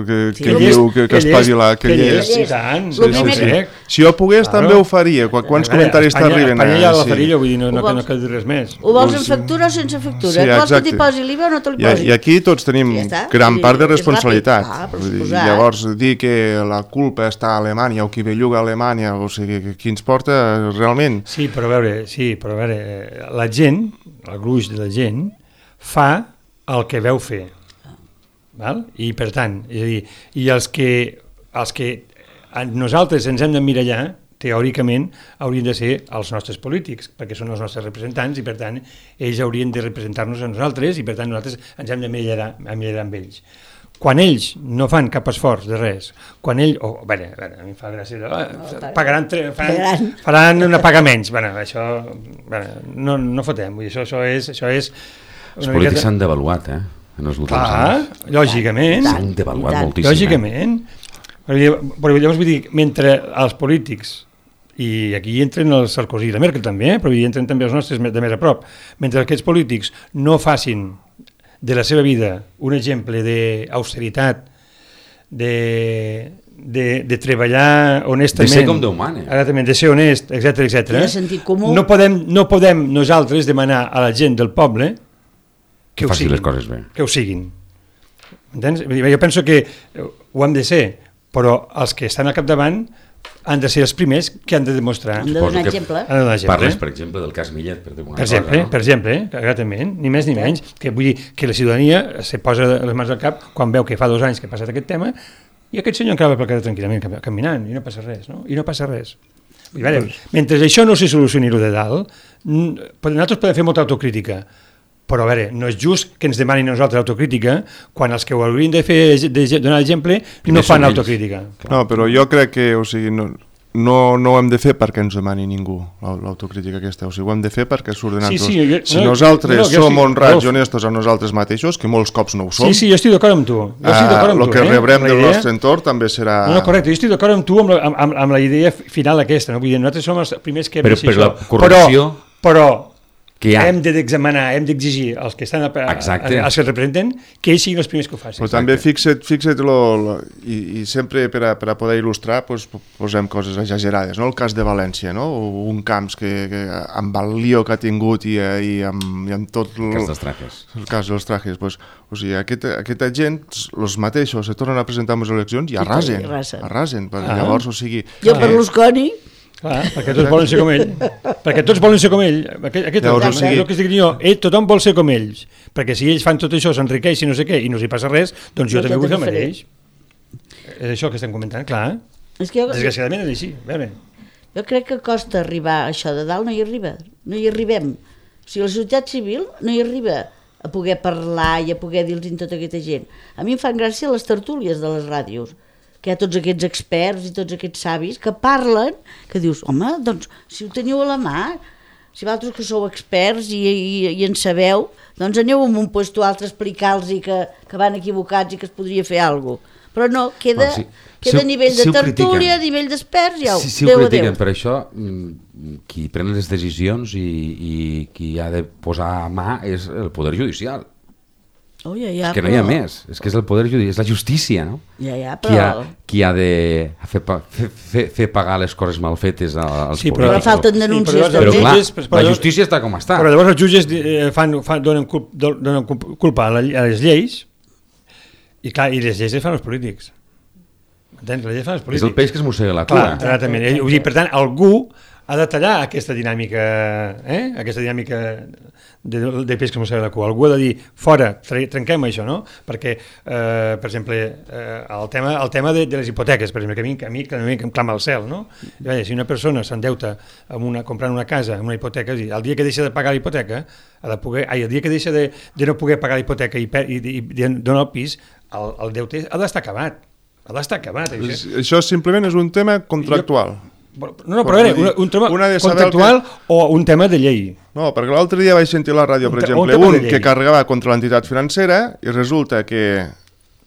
que, Sí, que, que diu, llest, que, que que es llest, pagui la... Que que llest. llest, i tant, Lo sí, primer sí, que- sí. Si jo pogués Claro. també ho faria. Qu- Quants A veure, comentaris Espanya- t'arriben? Espanya hi ha la sí. farilla, vull dir, no, no, Ho no, no vols- cal dir res més. Ho vols en factura o sense factura? Sí, Sí, vols que exacte. t'hi posi l'I V A o no te l'hi I, posi? I aquí tots tenim Ja està. gran Vull part de dir, és responsabilitat. ràpid. Ah, per Vull dir, suposat. llavors, dir que la culpa està a Alemanya o qui belluga a Alemanya, o sigui, que qui ens porta realment... Sí, però a veure, sí, però a veure, eh, la gent, el gruix de la gent, fa el que veu fer. Val? I per tant, és a dir, i els que, els que nosaltres ens hem d'emmirallar, teòricament, haurien de ser els nostres polítics, perquè són els nostres representants i, per tant, ells haurien de representar-nos a nosaltres i, per tant, nosaltres ens hem d'emmirallar emmirallar amb ells. Quan ells no fan cap esforç de res, quan ells... Oh, bé, bé, a mi em fa gràcia... Eh, pagaran, tre- faran, faran una paga menys. Bé, això... Bé, no, no fotem, vull dir, això, això és... Això és Els polítics s'han devaluat, eh? En els últims Clar, anys. lògicament. S'han devaluat I tant. moltíssim. Lògicament. Eh? Però llavors vull dir, mentre els polítics, i aquí hi entren els Sarkozy i la Merkel també, eh? Però hi entren també els nostres de més a prop, mentre aquests polítics no facin de la seva vida un exemple d'austeritat, de, de, de treballar honestament, De ser com Déu mana. exactament, de ser honest, etcètera, etcètera. I de sentit comú. No podem, no podem nosaltres demanar a la gent del poble que, Que ho faci siguin, les coses bé. que ho siguin. Entens? Vull dir, jo penso que ho hem de ser, però els que estan al capdavant han de ser els primers que han de demostrar. Hem de Suposo donar que exemple. Han de donar exemple. Parles, per exemple, del cas Millet, per dir una Per cosa, exemple, no? per exemple, exactament, ni més ni menys, que vull dir que la ciutadania se posa les mans al cap quan veu que fa dos anys que ha passat aquest tema i aquest senyor encara va pel carrer tranquil·lament cam- caminant i no passa res, no? I no passa res. Vull dir, a veure, mentre això no se solucioni lo de dalt, n- nosaltres podem fer molta autocrítica, però a veure, no és just que ens demanin a nosaltres autocrítica quan els que ho haurien de fer de donar exemple Primer no fan són ells. autocrítica. No, però jo crec que, o sigui, no, no, no ho hem de fer perquè ens demani ningú, l'au- l'autocrítica aquesta. O sigui, ho hem de fer perquè surt de Sí, nosaltres. sí, jo- si no, nosaltres no, jo som sí, honrats Rolf. i honestos amb nosaltres mateixos, que molts cops no ho som, Sí, sí, jo estic d'acord amb tu. Jo estic ah, d'acord amb el tu, que eh? rebrem amb la del idea. nostre entorn també serà... No, no, correcte, jo estic d'acord amb tu amb la, amb, amb la idea final aquesta, no? Vull dir, nosaltres som els primers que hem Però de ser per la això. corrupció Però, però que hi ha. hem d'examinar, hem d'exigir als que estan a, a, Exacte. als que representen que ells siguin els primers que ho facin. Però també fixa't, fixa't lo, lo, i, i sempre per a, per a poder il·lustrar pues, posem coses exagerades, no? El cas de València, no? Un camps que, que amb el lío que ha tingut i, i, amb, i amb tot El cas dels trajes. el cas dels trajes, pues, o sigui, aquesta, aquesta gent, els mateixos, se tornen a presentar en les eleccions i arrasen, I arrasen. arrasen, perquè Ah. llavors, o sigui... Jo Berlusconi, Clar, perquè tots volen ser com ell. perquè tots volen ser com ell. Aquest, aquest Llavors, és o el sigui- el que estic dient jo. Ell, tothom vol ser com ells. Perquè si ells fan tot això, s'enriqueix i no sé què, i no s'hi passa res, doncs jo Doncs també jo vull fer el també faré. mateix. És això que estem comentant, clar. és que jo, Desgraciadament és així. A veure. jo crec que costa arribar a això de dalt, no hi arriba, no hi arribem. O sigui, la societat civil no hi arriba a poder parlar i a poder dir-los a tota aquesta gent. A mi em fan gràcia les tertúlies de les ràdios, que hi ha tots aquests experts i tots aquests savis que parlen, que dius, home, doncs, si ho teniu a la mà, si vosaltres que sou experts i, i, i en sabeu, doncs aneu en un puesto altre a explicar-los que, que van equivocats i que es podria fer alguna cosa. Però no, queda, Bueno, sí. queda Si ho- a nivell si de ho critiquen. tertúlia, a nivell d'experts, ja ho, Si, si ho adéu, critiquen adéu. per això, mm, qui pren les decisions i, i qui ha de posar a mà és el Poder Judicial. Oh, ja, ja, És que no hi ha però- més, és que és el Poder Judicial, és la justícia, no? Ja, ja, Qui ha, però... qui ha de fer, pa- fer, fer, fer pagar les coses mal fetes als Sí, però- polítics. Però falten Sí, denúncies però Però també. clar, jutges, però- la justícia està com està. Però llavors els jutges eh, fan, fan, donen, culp, donen culp- culpa a, la, a les lleis i, clar, i les lleis les fan els polítics. Entens? Les lleis fan els És polítics. el peix que es mossega la Clar, cua. exactament. Eh, vull dir, per tant, algú ha de tallar aquesta dinàmica, eh? aquesta dinàmica de, de peix que es mossega la cua. Algú ha de dir, fora, tre- trenquem això, no? Perquè, eh, per exemple, eh, el tema, el tema de, de les hipoteques, per exemple, que a mi, que a mi, que a mi que em clama al cel, no? I, vaja, si una persona s'endeuta amb una, comprant una casa amb una hipoteca, és a dir, el dia que deixa de pagar la hipoteca, ha de poder, ai, el dia que deixa de, de no poder pagar la hipoteca i, per, i, i, i dona el pis, el, el deute ha d'estar acabat. Ha d'estar acabat, això. És- Això simplement és un tema contractual. No, no, però a veure, un, un tema Una de saber contractual o un tema de llei. No, perquè l'altre dia vaig sentir a la ràdio, per Un te- exemple, un tema un de llei. que carregava contra l'entitat financera i resulta que,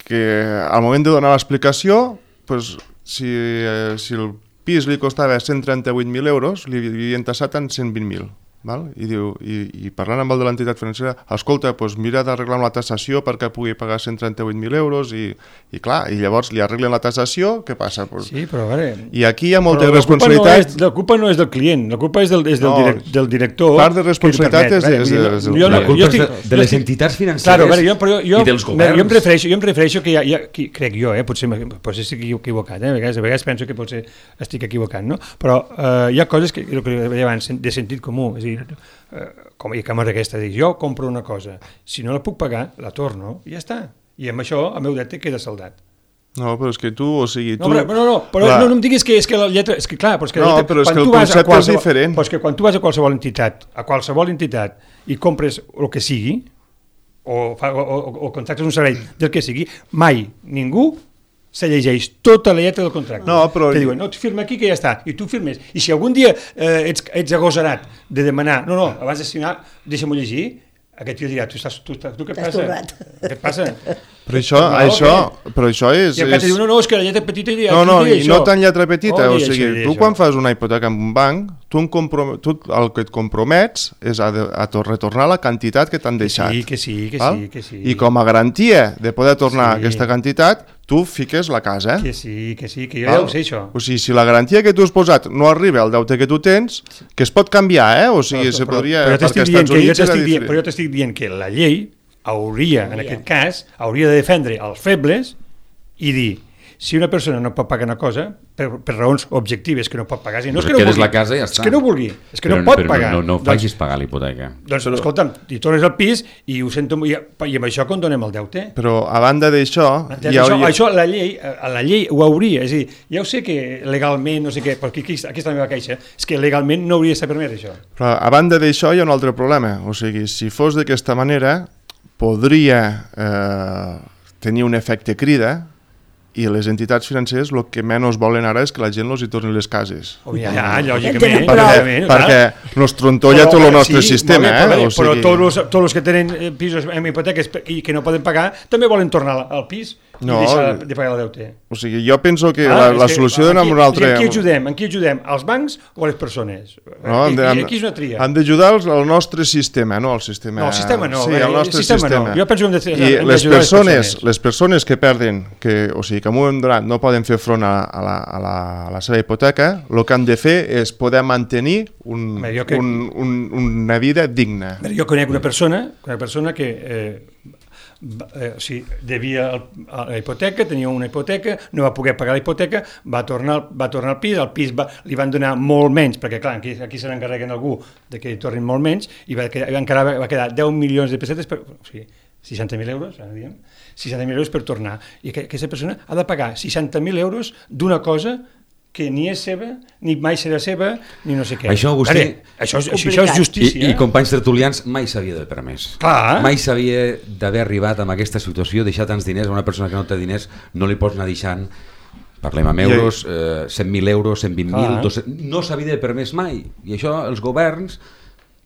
que al moment de donar l'explicació, pues, si, eh, si el pis li costava cent trenta-vuit mil euros, li havien tassat en cent vint mil. Val? I, diu, i, i parlant amb el de l'entitat financera, escolta, doncs mira d'arreglar la tassació perquè pugui pagar cent trenta-vuit mil euros i, i clar, i llavors li arreglen la tassació, què passa? Pues, sí, però a veure... I aquí hi ha molta la responsabilitat... No és, la culpa no és del client, la culpa és del, és del, no, direct, del director... Part de responsabilitat és... és, és, és jo, la culpa és de, de les entitats financeres claro, veure, jo, però jo, i dels governs. Jo em refereixo, jo em refereixo que hi ha, hi ha qui, crec jo, eh, potser, potser estic equivocat, eh, a, vegades, a vegades penso que potser estic equivocat, no? Però eh, hi ha coses que, que deia abans, de sentit comú, és a dir, eh, com, i com és aquesta, dic, jo compro una cosa, si no la puc pagar, la torno, i ja està. I amb això el meu deute queda saldat. No, però és que tu, o sigui... Tu, no, però, no, no, però no, no em diguis que és que la lletra... És que clar, però és que la no, lletra... però és quan que el tu vas concepte és diferent. Però és que quan tu vas a qualsevol entitat, a qualsevol entitat, i compres el que sigui, o, fa, o, o, o contractes un servei del que sigui, mai ningú se llegeix tota la lletra del contracte. No, però... Te diuen, no, tu firma aquí que ja està, i tu firmes. I si algun dia eh, ets, ets agosarat de demanar, no, no, abans de signar, deixa'm-ho llegir, aquest tio dirà, tu, estàs, tu, tu, tu què et passa? Què et passa? Però això, no, això, però això és... I el cas diu, no, no, és que la lletra petita... I no, no, i no tan lletra petita, oh, o sigui, això, tu això. quan fas una hipoteca en un banc, tu, comprom... tu el que et compromets és a, de, a retornar la quantitat que t'han deixat. Sí, que sí, que val? sí, que sí. I com a garantia de poder tornar sí. aquesta quantitat, tu fiques la casa. Que sí, que sí, que jo val? Ja ho sé, això. O sigui, si la garantia que tu has posat no arriba al deute que tu tens, que es pot canviar, eh? O sigui, però, se podria... Però, però, perquè als Estats Units era dient, però jo t'estic dient que la llei hauria, en aquest cas, hauria de defendre els febles i dir, si una persona no pot pagar una cosa, per, per raons objectives que no pot pagar, no és que no vulgui, la casa i ja està. és que no vulgui, és que però, no pot però pagar. No, no, no facis doncs, pagar l'hipoteca. Doncs, però, escolta'm, i tornes al pis i ho sento, i, i amb això condonem el deute. Però a banda d'això... Ja això, hauria... això la llei, la llei ho hauria, és a dir, ja ho sé que legalment, no sé què, perquè aquí, aquí està la meva queixa, és que legalment no hauria de ser permès això. Però a banda d'això hi ha un altre problema, o sigui, si fos d'aquesta manera, podria eh, tenir un efecte crida i les entitats financeres el que menys volen ara és que la gent els hi torni les cases. Oh, ja, ja, lògicament. Perquè, perquè nos trontolla tot el nostre sí, sistema. Bé, però, eh? o sigui... però tots els, tots els que tenen pisos amb hipoteques i que no poden pagar també volen tornar al pis i no, deixar de pagar el deute. O sigui, jo penso que ah, la, la solució d'anar amb un altre... En qui ajudem? En qui ajudem? Els bancs o les persones? No, I, han, i aquí és una tria. Han d'ajudar al nostre sistema, no al sistema... No, el sistema no. Sí, el nostre sistema, sistema. No. Jo penso que hem de, I hem les persones, les persones. Les persones que perden, que, o sigui, que en un moment donat no poden fer front a, a, la, a, la, a la seva hipoteca, el que han de fer és poder mantenir un, Bé, crec... un, un, una vida digna. Bé, jo conec una persona, una persona que... Eh, Eh, o sigui, devia el, la hipoteca, tenia una hipoteca, no va poder pagar la hipoteca, va tornar, va tornar al pis, al pis va, li van donar molt menys, perquè clar, aquí, aquí se n'encarreguen algú de que li tornin molt menys, i va quedar, encara va quedar deu milions de pessetes, per, o sigui, seixanta mil euros, ara diguem, seixanta mil euros per tornar, i que, aquesta persona ha de pagar seixanta mil euros d'una cosa que ni és seva, ni mai serà seva, ni no sé què. Això, Agustí, Ara, això, és, això és justícia. I, i companys tertulians, mai s'havia de permès. Clar. Mai s'havia d'haver arribat amb aquesta situació, deixar tants diners a una persona que no té diners, no li pots anar deixant, parlem amb euros, eh, cent mil euros, cent vint mil, no s'havia de permès mai. I això els governs...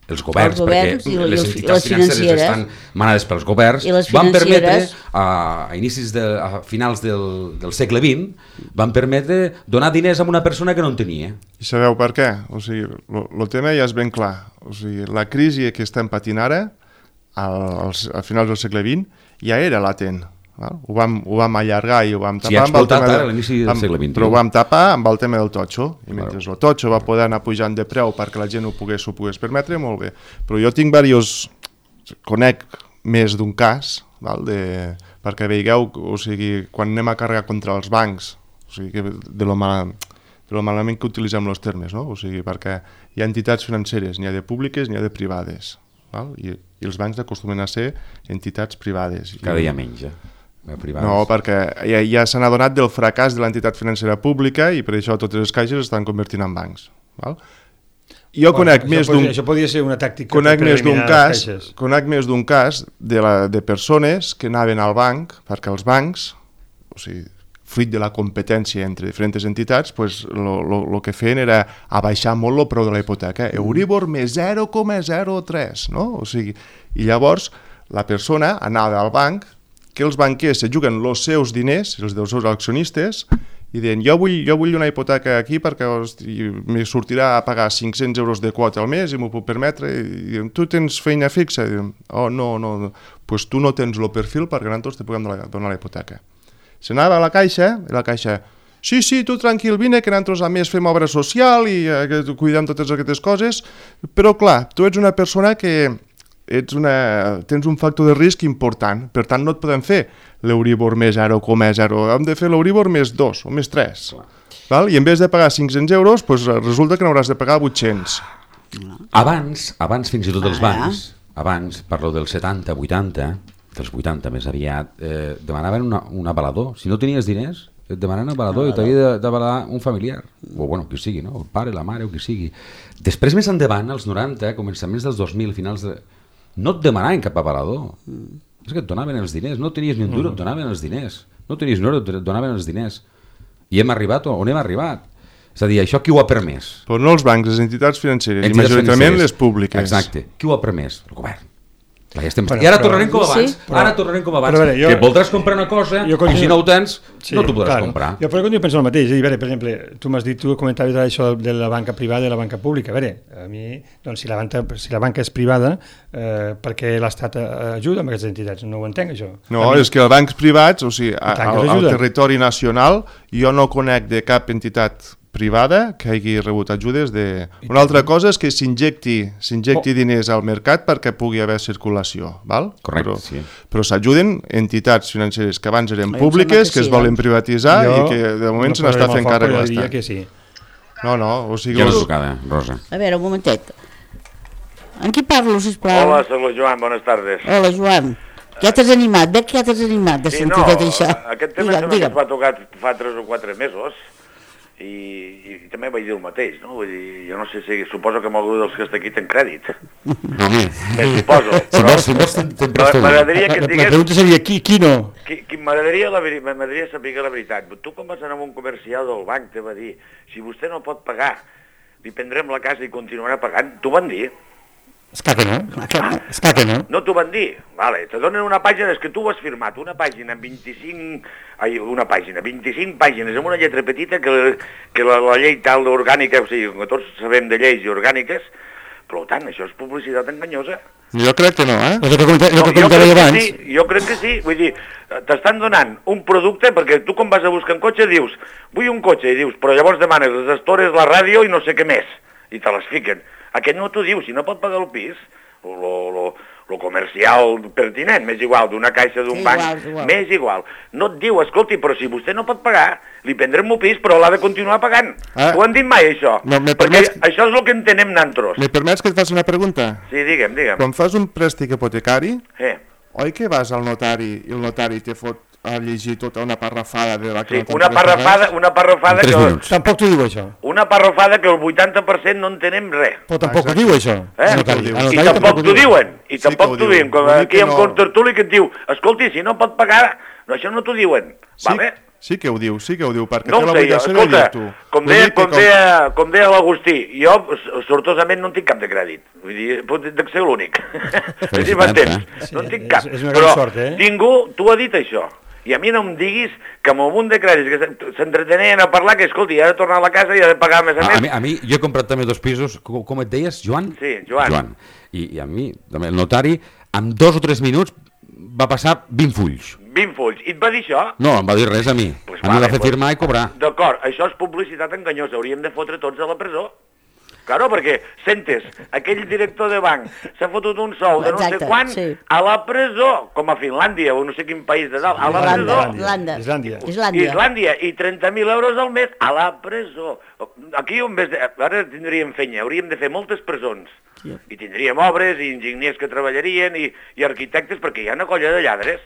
els governs, els governs perquè les entitats financeres estan manades pels governs, van permetre, a, a inicis de, a finals del, del segle vint, van permetre donar diners a una persona que no en tenia. I sabeu per què? O sigui, el tema ja és ben clar. O sigui, la crisi que estem patint ara, al, a finals del segle vint, ja era latent. Val? Ho, vam, ho vam allargar i ho vam tapar, sí, amb el tema ara, de, a l'inici del segle vint. Però ho vam tapar amb el tema del totxo, i mentre claro. El totxo va poder anar pujant de preu perquè la gent ho pogués, ho pogués permetre, molt bé. Però jo tinc diversos, conec més d'un cas, val? De, perquè veigueu, o sigui, quan anem a carregar contra els bancs, o sigui, de lo, mal, de lo malament que utilitzem els termes, no? O sigui, perquè hi ha entitats financeres, n'hi ha de públiques, n'hi ha de privades, val? I, i els bancs acostumen a ser entitats privades. Cada dia menys, eh? Privades. No, perquè ja, ja s'han adonat del fracàs de l'entitat financera pública i per això totes les caixes estan convertint en bancs. Val? Jo bueno, conec més d'un... Això podria ser una tàctica conec per més d'un cas, caixes. Conec més d'un cas de, la, de persones que anaven al banc, perquè els bancs, o sigui, fruit de la competència entre diferents entitats, pues, el que feien era abaixar molt el preu de la hipoteca. Euribor més zero coma zero tres, no? O sigui, i llavors la persona anava al banc, que els banquers se juguen els seus diners, els dels seus accionistes, i diuen, jo vull, jo vull una hipoteca aquí perquè hosti, me sortirà a pagar cinc-cents euros de quota al mes i m'ho puc permetre, i diuen, tu tens feina fixa? I diuen, oh, no, no, no, pues tu no tens el perfil perquè nosaltres te puguem donar la hipoteca. S'anava a la caixa, i la caixa, sí, sí, tu tranquil, vine, que nosaltres a més fem obra social i eh, cuidem totes aquestes coses, però clar, tu ets una persona que ets una, tens un factor de risc important, per tant no et podem fer l'Euribor més zero coma zero, hem de fer l'Euribor més dos o més tres. Val? I en vez de pagar cinc-cents euros, pues, resulta que n'hauràs de pagar vuit-cents. Abans, abans fins i tot els bancs, abans, parlo dels setanta, vuitanta, dels vuitanta més aviat, eh, demanaven una, un avalador. Si no tenies diners, et demanaven un avalador i t'havia d'avalar un familiar, o bueno, qui sigui, no? El pare, la mare o qui sigui. Després, més endavant, als noranta, començaments dels dos mil, finals de... no et demanaven cap avalador. Mm. És que et donaven els diners, no tenies ni un duro, et donaven els diners, no tenies ni un euro, et donaven els diners. I hem arribat on hem arribat. És a dir, això qui ho ha permès? Però no els bancs, les entitats financeres, entitats i majoritàriament financeres. Les públiques. Exacte. Qui ho ha permès? El govern. Clar, ja estem... bueno, I ara però, tornarem com abans, sí, però, ara tornarem com abans, veure, jo, que voldràs comprar una cosa continu... i si no ho tens, sí, no t'ho podràs clar, comprar. Jo per jo penso el mateix, a veure, per exemple, tu m'has dit, tu comentaves això de la banca privada i la banca pública, a veure, a mi, doncs si la banca, si la banca és privada, eh, per què l'Estat ajuda amb aquestes entitats? No ho entenc, això. No, mi... és que els bancs privats, o sigui, al, al territori nacional, jo no conec de cap entitat privada que hagi rebut ajudes de... Una altra cosa és que s'injecti s'injecti oh. diners al mercat perquè pugui haver circulació, val? Correcte, però, sí. Però s'ajuden entitats financeres que abans eren públiques, que, que sí, es volen privatitzar jo i que de moment no se n'està fent càrrec l'Estat. Que sí. No, no, o sigui... Ja l'has tocada, Rosa. A veure, un momentet. Amb qui parlo, sisplau? Hola, soc el Joan, bones tardes. Hola, Joan. Ja t'has animat, veig que ja t'has animat de sí, sentir no, tot això. Aquest tema digue'm, digue'm. Que va tocar fa tres o quatre mesos, I, i també vaig dir el mateix, no? Vull dir, jo no sé si... Suposo que algú dels que està aquí ten crèdit. Me suposo. Però, si vols, però m'agradaria que digués... La pregunta seria, qui, qui no? Qui, qui m'agradaria saber la veritat. Tu quan vas anar a un comercial del banc te va dir, si vostè no pot pagar, li prendrem la casa i continuarà pagant. T'ho van dir? És clar que no, és clar que no. No t'ho van dir? Vale, te donen una pàgina, és que tu ho has firmat, una pàgina amb vint-i-cinc... Ai, una pàgina, vint-i-cinc pàgines amb una lletra petita que, que la, la llei tal orgànica, o sigui, que tots sabem de lleis i orgàniques, per tant, això és publicitat enganyosa. Jo crec que no, eh? No, jo, crec que sí, jo crec que sí, vull dir, t'estan donant un producte, perquè tu quan vas a buscar un cotxe dius, vull un cotxe, i dius, però llavors demanes les estores, la ràdio i no sé què més, i te les fiquen. Aquest no t'ho diu, si no pot pagar el pis, lo, lo, lo comercial pertinent, m'és igual, d'una caixa d'un sí, banc, m'és igual. No et diu, escolti, però si vostè no pot pagar, li prendrem un pis, però l'ha de continuar pagant. Ah. T'ho han dit mai, això? No, perquè permets... això és el que entenem nantros. Me permets que et faci una pregunta? Sí, digue'm, digue'm. Quan fas un préstec hipotecari, eh. oi que vas al notari i el notari te fot a llegir tota una parrafada de la que sí, no una parrafada, una parrafada que... Tampoc t'ho diu, això. Una parrafada que el vuitanta per cent no entenem res. Però tampoc ho diu, això. Eh? Notari. I tampoc t'ho diuen. I tampoc t'ho diuen. Com aquí amb Contertuli que et diu, escolti, si no pot pagar, no, això no t'ho diuen. Vale? Sí que ho diu, sí que ho diu, perquè no té l'obligació de dir-t'ho. Com deia, com deia, com deia l'Agustí, jo sortosament no en tinc cap de crèdit. Vull dir, pot ser l'únic. Si m'entens? No en tinc cap. És una gran sort, eh? Ningú t'ho ha dit, això. I a mi no em diguis que amb un munt de crèdits que s'entretenien a parlar que, escolti, ha de tornar a la casa i ha de pagar més a, a més. A mi, a mi, jo he comprat també dos pisos, com, com et deies, Joan? Sí, Joan. Joan. I, I a mi, també, el notari, en dos o tres minuts va passar vint fulls. vint fulls. I et va dir això? No, em va dir res a mi. Pues a vale, mi va fer pues, firmar i cobrar. D'acord, això és publicitat enganyosa. Hauríem de fotre tots a la presó. Claro, perquè, sentes, aquell director de banc s'ha fotut un sou de no Exacte, sé quan sí. a la presó, com a Finlàndia o no sé quin país de dalt, a la presó. Islàndia. Islàndia. Islàndia. Islàndia. I trenta mil euros al mes a la presó. Aquí, en vez de... Ara tindríem fenya, hauríem de fer moltes presons. Sí. I tindríem obres i enginyers que treballarien i, i arquitectes, perquè hi ha una colla de lladres.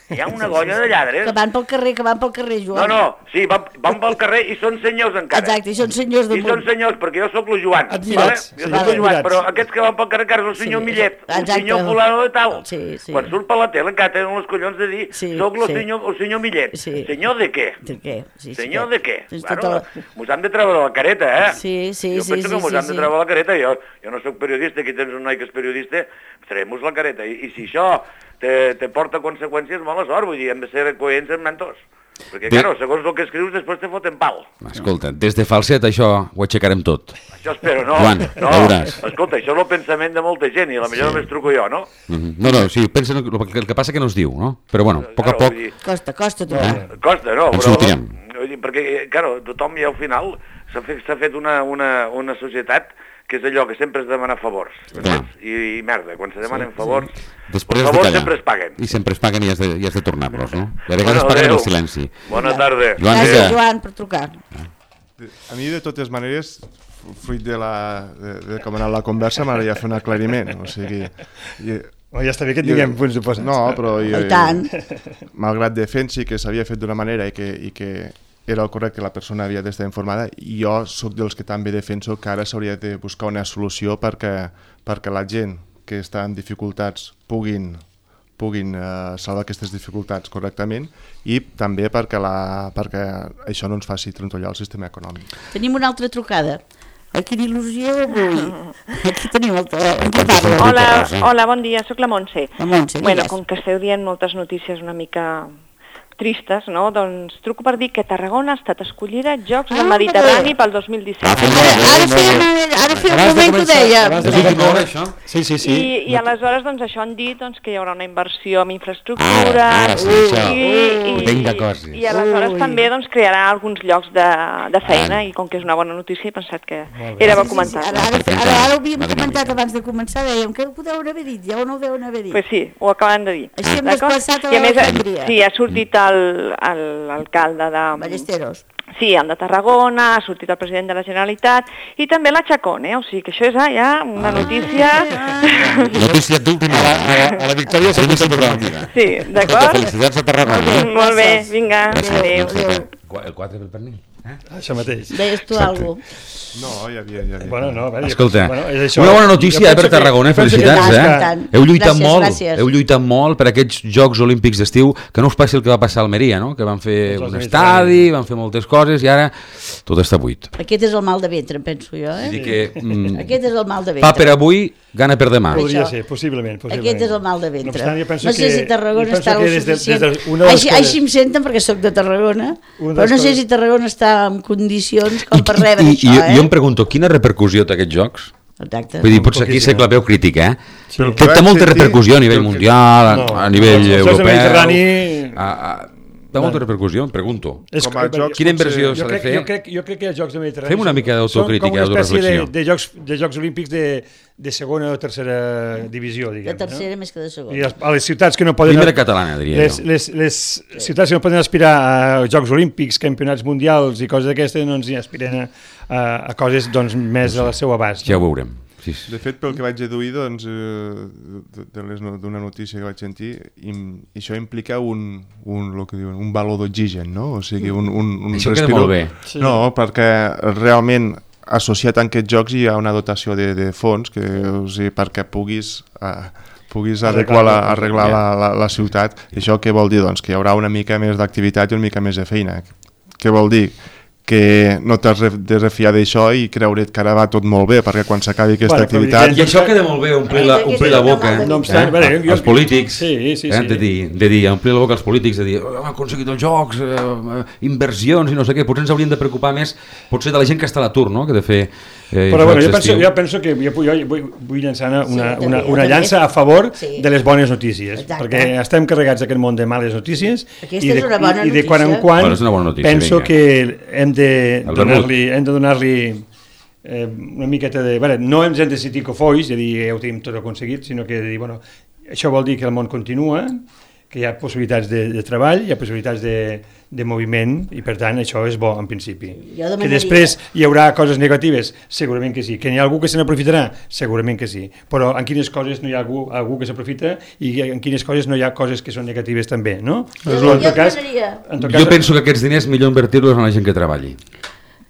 Hi ha una golla de lladres. Que van pel carrer, que van pel carrer, Joan. No, no, sí, van, van pel carrer i són senyors encara. Exacte, i són senyors del món. I són senyors, perquè jo sóc el Joan. Admirats. Vale? Jo sóc el Joan, però aquests que van pel carrer encara és el senyor sí, Millet, el senyor fulano de tal. Sí, sí. Quan surt per la tele encara tenen els collons de dir sí, sóc el, sí. senyor, el senyor Millet. Sí. Senyor de què? De què? Sí, senyor sí, de què? Sí, bueno, la... Mos han de treure la careta, eh? Sí, sí, jo sí. penso sí, que mos sí, han de sí. treure la careta. Jo, jo no sóc periodista, aquí tens un noi que és periodista, traiem-nos la careta. I, i si això... te, te porta conseqüències mala sort, vull dir, hem de ser coherents amb nantos. Perquè, de... claro, segons el que escrius, després te foten pal. Escolta, des de falset això ho aixecarem tot. Això espero, no? Joan, no. veuràs. Escolta, això és el pensament de molta gent i a la millor sí. només truco jo, no? Mm-hmm. No, no, sí, pensa el que, el que passa que no es diu, no? Però bueno, a poc a poc... Dir... Costa, costa trobar. Eh? Costa, no, ens però... sortirem. Vull dir, perquè, claro, tothom ja al final s'ha fet, s'ha fet una, una, una societat que és allò que sempre es demana favors. I, I merda, quan se demanen sí, favors, sí. Després els favors sempre es paguen. I sempre es paguen i has de, i has de tornar-los, no? I a vegades bueno, paguen el silenci. Bona tarda. Joan, gràcies, Joan, per trucar. A mi, de totes maneres, fruit de, la, de, de com ha anat la conversa, m'agradaria fer un aclariment. O sigui... I, oh, ja està bé que tinguem punts oposats. No, però... Jo, I tant. Malgrat defensi que s'havia fet d'una manera i que, i que era el correcte, la persona havia d'estar informada, i jo sóc dels que també defenso que ara s'hauria de buscar una solució perquè, perquè la gent que està en dificultats puguin, puguin uh, salvar aquestes dificultats correctament, i també perquè, la, perquè això no ens faci trontollar el sistema econòmic. Tenim una altra trucada. Ai, quina il·lusió avui. Aquí tenim el... Hola, hola, bon dia, sóc la Montse. La Montse, bueno, digues. Com que esteu dient moltes notícies una mica tristes, no? Doncs truco per dir que Tarragona ha estat escollida Jocs del Mediterrani pel dos mil disset. Ara feia un moment que ho deia. Sí, sí, sí. I, i aleshores doncs, això han dit doncs, que hi haurà una inversió en infraestructures i, i, i aleshores també doncs, crearà alguns llocs de, de feina, i com que és una bona notícia he pensat que era bo comentar. Ara, ara, ara, ara ho havíem comentat abans de començar, dèiem que ho deuen haver dit, ja o no ho deuen haver dit. Pues sí, ho acaben de dir. Així hem desplaçat a la Alexandria. Sí, ha sortit l'alcalde de... Ballesteros. Sí, el de Tarragona, ha sortit el president de la Generalitat i també la Chacón, eh? O sigui que això és ah, ja una notícia... Notícia d'última hora. A la victòria s'ha vist el programa. Sí, d'acord? Felicitats a Tarragona. Molt bé, vinga, adéu. El quatre pel pernil. Eh? Això mateix. Deies tu alguna cosa? No, hi havia... Hi havia. Bueno, no, a veure, escolta, bueno, això, una bona notícia eh, per Tarragona, felicitats, que... eh? Tant, heu lluitat gràcies, molt, gràcies. heu lluitat molt per aquests Jocs Olímpics d'estiu, que no us passi el que va passar a Almeria, no? Que van fer un estadi, van fer moltes coses i ara tot està buit. Aquest és el mal de ventre, penso jo, eh? Dir que, mm, Aquest és el mal de ventre. pa per avui, gana per demà. Podria ser, possiblement, possiblement. Aquest és el mal de ventre. No, obstant, no sé que, si Tarragona està el suficient. De, de, de així, així em senten perquè sóc de Tarragona, però no sé si Tarragona està en condicions com per rebre I, això, i, eh? Jo em pregunto, quina repercussió té aquests jocs? Exacte. Vull dir, potser aquí sé que la veu crítica, eh? Sí. Que té molta repercussió a nivell mundial, no, a nivell no, europeu... Mediterrani... A, a, té molta repercussió, em pregunto. És, com a jocs, quina inversió s'ha de crec, fer? Jo crec, jo crec que els Jocs de Mediterrani... Fem una mica d'autocrítica, són com una espècie de, d'autoreflexió. de, jocs, de Jocs Olímpics de, de segona o tercera divisió, diguem. De tercera no? més que de segona. I a les ciutats que no poden... Primera catalana, diria les, jo. les, les ciutats que no poden aspirar a Jocs Olímpics, campionats mundials i coses d'aquestes, no ens hi aspiren a, a, a coses doncs, més a la seva abast. Ja ho veurem. Sí. De fet, pel que vaig deduir, doncs, d'una notícia que vaig sentir, im, això implica un, un, lo que diuen, un valor d'oxigen, no? O sigui, un, un, un això queda respiro... molt bé. Sí. No, perquè realment associat a aquests jocs hi ha una dotació de, de fons que, o sigui, perquè puguis... Uh, puguis arreglar, la, arreglar la, la, la ciutat. I això què vol dir? Doncs que hi haurà una mica més d'activitat i una mica més de feina. Què vol dir? Que no t'has de refiar d'això i creure't que ara va tot molt bé, perquè quan s'acabi aquesta bueno, activitat... I això queda molt bé, omplir la, omplir la boca, eh? No obstant, eh? jo, els polítics, sí, sí, sí. Eh? De, dir, de dir, omplir la boca als polítics, de dir, oh, hem aconseguit els jocs, eh, inversions i no sé què, potser ens haurien de preocupar més, potser de la gent que està a l'atur, no?, que de fer eh, però bueno, jo penso, jo penso que jo, jo vull, vull llançar una, sí, una, una llança a favor sí. de les bones notícies. Exacte. Perquè estem carregats d'aquest món de males notícies i de, i, i de quan en quan bueno, notícia, penso vinga. que hem de donar-li hem de donar-li eh, una miqueta de... Bueno, no ens hem de sentir cofois, de dir ja ho tenim tot aconseguit, sinó que de dir, bueno, això vol dir que el món continua, que hi ha possibilitats de, de treball, hi ha possibilitats de, de moviment i per tant això és bo en principi. Demanaria... Que després hi haurà coses negatives, segurament que sí. Que hi ha algú que se n'aprofitarà, segurament que sí. Però en quines coses no hi ha algú, algú que s'aprofita i en quines coses no hi ha coses que són negatives també, no? Jo, jo, en tot cas, en tot cas, jo penso que aquests diners millor invertir-los en la gent que treballi.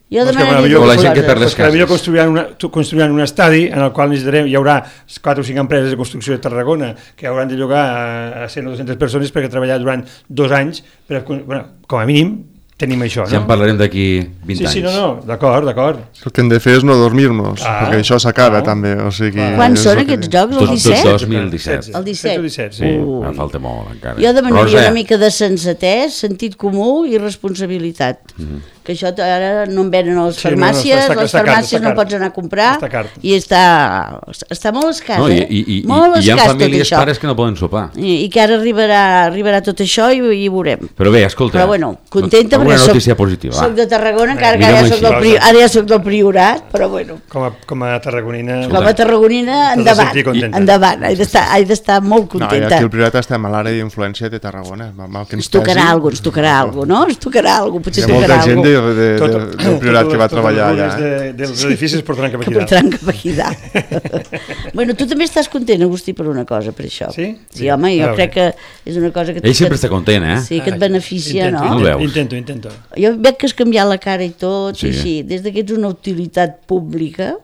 Jo doncs demanaria... O la gent que per les cases. Millor construiran, una, construiran un estadi en el qual necessitarem, hi haurà quatre o cinc empreses de construcció de Tarragona que hauran de llogar a, a cent o dues-centes persones perquè treballar durant dos anys, per, bueno, com a mínim, tenim això, no? Ja en parlarem d'aquí vint sí, anys. Sí, no, no, d'acord, d'acord. El que hem de fer és no dormir-nos, Ah, perquè això s'acaba ah. també. O sigui, Quan és són el que- aquests jocs? El Dos- disset? dos mil disset. El disset. setze o disset, Sí, sí. Ui. em falta molt encara. Jo demanaria Rosa, una mica de sensatès, sentit comú i responsabilitat. Mhm. Que això ara no en venen a les Sí, no, no, farmàcies, està- està les car, farmàcies està no car. pots anar a comprar Està car. i està, està molt escàs, No, i, eh? i, i, molt i hi ha escàs tot famílies, això. pares que no poden sopar. I, i que ara arribarà, arribarà tot això i, i ho veurem. Però bé, escolta... Però bueno, contenta alguna perquè soc, notícia positiva, va. soc de Tarragona, encara que mirem-ho ara, soc així. del, pri- ara ja soc del Priorat, però bueno, Com a, com a tarragonina... com a tarragonina, T'has de endavant, sentir contenta. endavant, he d'estar he d'estar molt No, i contenta. aquí al Priorat estem a l'àrea d'influència de Tarragona. Mal que ens Ens tocarà pesi. alguna cosa, ens tocarà alguna cosa, no? Ens tocarà alguna cosa, Hi potser ha molta tocarà gent alguna de, cosa. de, de, Tot- del Priorat que va totes treballar les allà. runes de, dels edificis portaran cap Que aquí dalt. portaran cap aquí dalt. Bueno, tu també estàs content, Agustí, per una cosa, per això. Sí? Sí, home, jo Ah, crec bé. que és una cosa que... Ell sempre està content, eh? Sí, que et beneficia, intento, no? No ho veus. Intento, intento. Jo veig que has canviat la cara i tot, Sí. i així, des que ets una utilitat pública,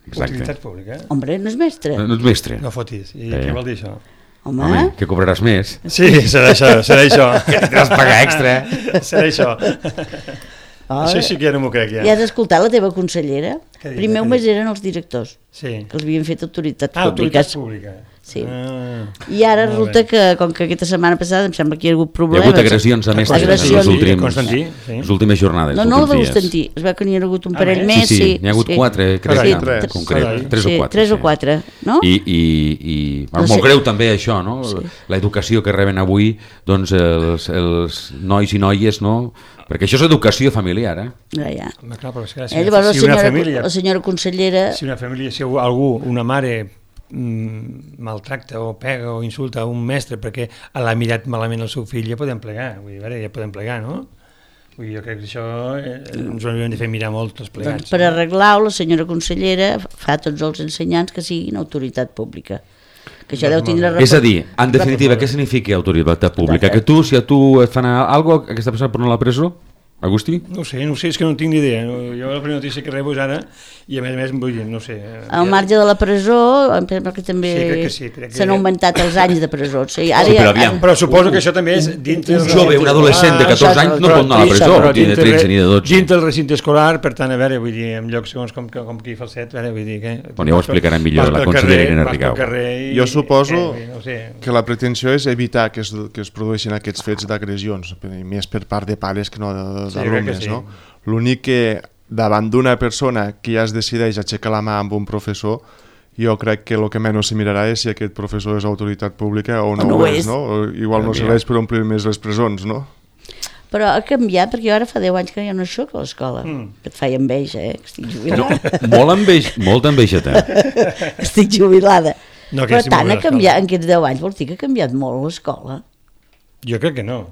Exacte. Utilitat pública. eh? home, no és mestre. No, no ets mestre. No fotis. I Eh. què vol dir això? Home, Home, que cobraràs més. Sí, serà això, serà això. Que tindràs pagar extra. serà això. oh, Això sí que ja no m'ho crec, ja. ja has escoltat la teva consellera? Què diu, Primer què només diu? eren els directors, Sí. que els havien fet autoritats Ah, autoritat públiques. pública. Sí. Ah. I ara Molt resulta bé. que, com que aquesta setmana passada em sembla que hi ha hagut Hi ha problemes... hagut agressions a mestres en Agressions. les, últims, Constantí, sí. les últimes jornades. No, els no, el de últims dies. Constantí. Es veu que n'hi ha hagut un Ah, parell bé? més. Sí, sí, sí, n'hi ha hagut sí. quatre, crec, Carai, que, tres. en concret. Carai. Tres sí, o quatre. tres sí. o quatre, no? I, i, i bueno, No sé. molt greu també això, no? Sí. L'educació que reben avui doncs, els, els nois i noies, no? Perquè això és educació familiar, eh? Ja, ja. Home, clar, però és que si, Eh, llavors, la si una senyora, família, la senyora consellera... si una família, si algú, una mare mm, maltracta o pega o insulta a un mestre perquè l'ha mirat malament el seu fill, ja podem plegar, vull dir, a veure, ja podem plegar, no? Vull dir, jo crec que això eh, ens ho hauríem de fer mirar molt tots plegats. Doncs per arreglar-ho, la senyora consellera fa a tots els ensenyants que siguin autoritat pública. Que això deu tindre... És a dir, en definitiva, què significa autoritat pública? Que tu, si a tu et fan alguna cosa, aquesta persona pot anar a la presó? Agustí? No ho sé, no ho sé, és que no tinc ni idea. No, jo la primera notícia que rebo és ara i a més a més vull dir, no ho sé. eh, Al marge de la presó, em sembla que també Sí, crec que sí, crec que- s'han augmentat els anys de presó. O sigui, ara Sí, ja- però aviam. Però suposo que això també és dintre... Un del jove, recinte un adolescent de escolar. catorze anys no pot anar a la presó, Però ni de dintre- tretze ni de dotze. Dintre del recinte escolar, per tant, a veure, vull dir, en llocs segons com, com aquí Falset, a veure, vull dir que... Bueno, ja ho explicarà millor vas la pel consellera carrer, Irene vas pel Rigau. carrer i- Jo suposo eh, no sé, que la pretensió és evitar que es, que es produeixin aquests fets d'agressions, i més per part de pares que no de- Sí, crec que d'alumnes, sí. no? L'únic que davant d'una persona que ja es decideix aixecar la mà amb un professor, jo crec que el que menys se mirarà és si aquest professor és autoritat pública o no, no ho ho és, és. no? O igual no Mira. serveix per omplir més les presons, no? Però ha canviat, perquè jo ara fa deu anys que ja no soc a l'escola. Mm. Que et feia enveja, eh? Que estic No, jubilada. molt enveix, molta enveja té. estic jubilada. No, que Però estic tant molt ha bé a l'escola. canviat, en aquests deu anys, vols dir que ha canviat molt l'escola? Jo crec que no.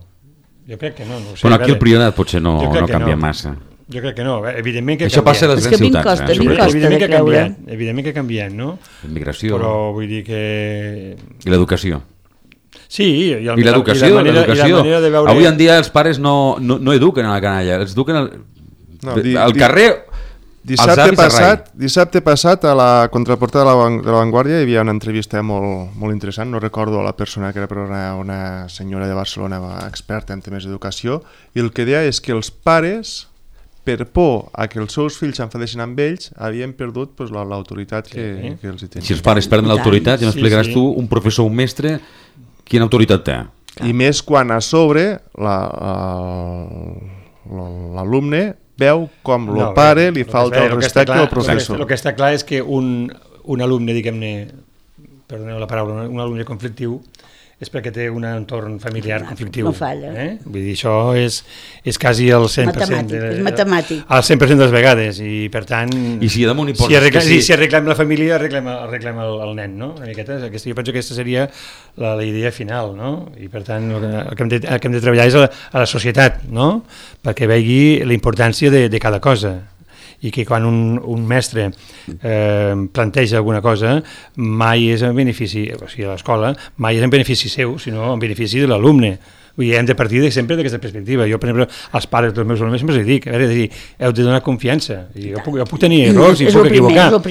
Jo crec que no. no ho sé, Bueno, a aquí el veure. Priorat potser no, Jo crec no que canvia no. massa. Jo crec que no, eh, evidentment que ha Això passa a les És grans que a mi em ciutats, costa, a eh? mi em sobretot. costa. Evidentment que ha de creure. canviat, evidentment que ha canviat, no? La immigració Però vull dir que... i l'educació. Sí, i, el, I l'educació, i la manera, l'educació. i la manera de veure... Avui en dia els pares no, no, no eduquen a la canalla, els eduquen al, No, de- di- al di- carrer, als Dissabte avis a rai. passat, dissabte passat a la contraportada de la, Van- de la Vanguardia hi havia una entrevista molt, molt interessant, no recordo la persona que era, però una, una senyora de Barcelona experta en temes d'educació, i el que deia és que els pares, per por a que els seus fills s'enfadeixin amb ells, havien perdut pues, la- l'autoritat que, Sí. que els hi tenien. Si els pares perden l'autoritat, ja Sí, m'explicaràs sí. tu, un professor, un mestre, quina autoritat té? I més quan a sobre la- el- l'alumne veu com el No, pare bé, li el que falta està- el el que està respecte clar- al el que- professor. El que està clar és que un, un alumne, diguem-ne, perdoneu la paraula, un alumne conflictiu, és perquè té un entorn familiar conflictiu. no falla. Eh? Vull dir, això és, és quasi el cent per cent. Matemàtic, és matemàtic. El cent per cent de les vegades, i per tant... I si damunt hi poses si arreglem, que sí. si arreglem la família, arreglem, arreglem el, el nen, no? Una miqueta, aquesta, jo penso que aquesta seria la, la idea final, no? I per tant, el que, el que, hem, de, el que hem de treballar és a la, a la societat, no? Perquè vegi la importància de, de cada cosa, i que quan un, un mestre eh, planteja alguna cosa mai és en benefici, o sigui, a l'escola, mai és en benefici seu, sinó en benefici de l'alumne. Vull dir, hem de partir de sempre d'aquesta perspectiva. Jo, per exemple, als pares dels meus alumnes sempre els dic, a veure, dir, heu de donar confiança. I jo, puc, jo puc tenir errors i puc equivocar, puc,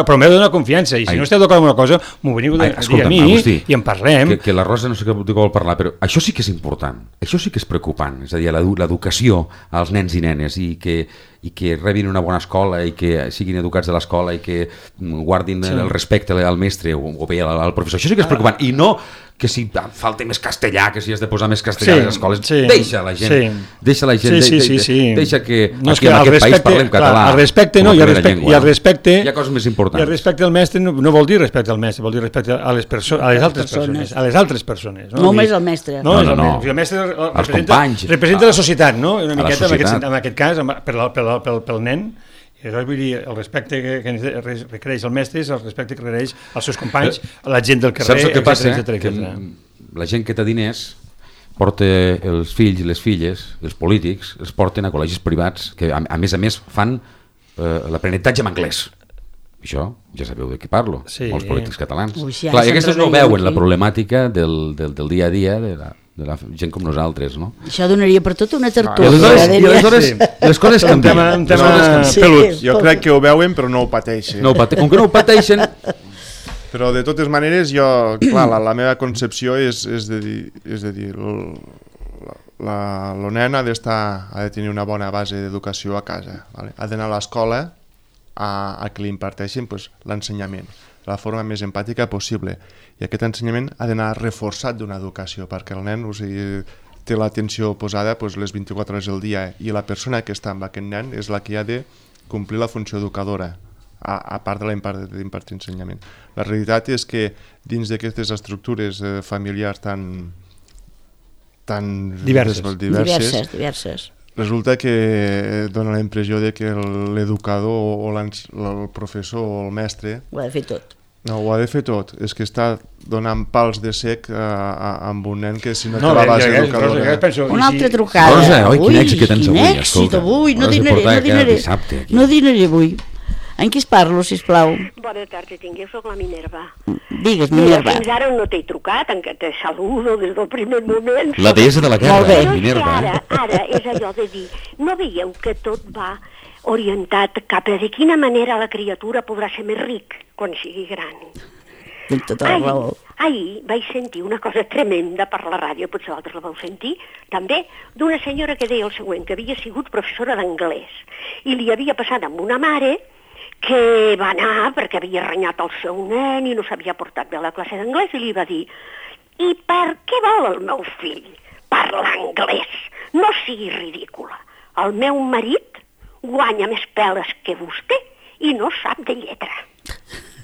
però m'heu de donar confiança. I si Ai. no esteu d'acord amb una cosa, m'ho veniu a dir a mi Agustí, i en parlem. Que, que la Rosa no sé què vol parlar, però això sí que és important, això sí que és preocupant, és a dir, l'educació als nens i nenes i que i que rebin una bona escola i que siguin educats de l'escola i que guardin sí. el respecte al mestre o, o bé al, al professor. Això sí que és preocupant. I no que si falta més castellà, que si has de posar més castellà sí, a les escoles. Sí, deixa la gent. Sí. Deixa la gent. Sí, sí, sí, sí. Deixa que no, aquí que en aquest respecte, país parlem català. Clar, el respecte no, i el respecte, llengua, i el respecte, hi ha coses més importants. I el respecte al mestre no, no vol dir respecte al mestre, vol dir respecte a les, perso a les altres persones. A les altres persones. No només al mestre. No, no, no. El mestre representa, representa la societat, no? Una miqueta, en aquest, en aquest cas, per, pel, pel, pel nen. I aleshores vull dir, el respecte que, que requereix el mestre és el respecte que requereix als seus companys, a la gent del carrer, saps el que passa? Etcètera, etcètera. Que la gent que té diners porta els fills i les filles, els polítics, els porten a col·legis privats que a, a més a més fan eh, l'aprenentatge en anglès. Això ja sabeu de què parlo, sí. Molts polítics catalans. Ui, sí, clar, i aquests no veuen la problemàtica del, del, del dia a dia de la, de la gent com nosaltres, no? Això donaria per tot una tertúlia. No, I aleshores les coses canvien. Un tema, un tema sí, pelut. Jo crec que ho veuen però no ho pateixen. No ho pate com que no ho pateixen... Però de totes maneres jo, clar, la, la meva concepció és, és de dir, és de dir el, la, el nen ha d'estar, ha de tenir una bona base d'educació a casa, vale? Ha d'anar a l'escola a, a que li imparteixin pues, l'ensenyament de la forma més empàtica possible, i aquest ensenyament ha d'anar reforçat d'una educació perquè el nen, o sigui, té l'atenció posada pues, les vint-i-quatre hores del dia, i la persona que està amb aquest nen és la que ha de complir la funció educadora, a, a part de l'impartir ensenyament. La realitat és que dins d'aquestes estructures eh, familiars tan, tan diverses. diverses, diverses, diverses, resulta que dona la impressió de que l'educador o el professor o el mestre ho ha de fer tot. No, ho ha de fer tot. És que està donant pals de sec a, a, amb un nen que si no, no té la base educadora... Una altra trucada. Rosa, oi, quin èxit que tens avui, escolta. Quin èxit avui, no dinaré, no dinaré. Dissabte, no dinaré avui. En qui es parlo, sisplau? Bona tarda, tingueu, soc la Minerva. Digues, Minerva. Fins ara no t'he trucat, en què te saludo des del primer moment. La deessa de la guerra, Minerva. Ara, ara és allò de dir, no veieu que tot va orientat cap a de quina manera la criatura podrà ser més ric quan sigui gran? Tens tota la raó. Ahir vaig sentir una cosa tremenda per la ràdio, potser vosaltres la vau sentir, també, d'una senyora que deia el següent, que havia sigut professora d'anglès i li havia passat amb una mare que va anar perquè havia renyat el seu nen i no s'havia portat bé a la classe d'anglès i li va dir: i per què vol el meu fill parlar anglès? No sigui ridícula. El meu marit guanya més peles que vostè i no sap de lletra.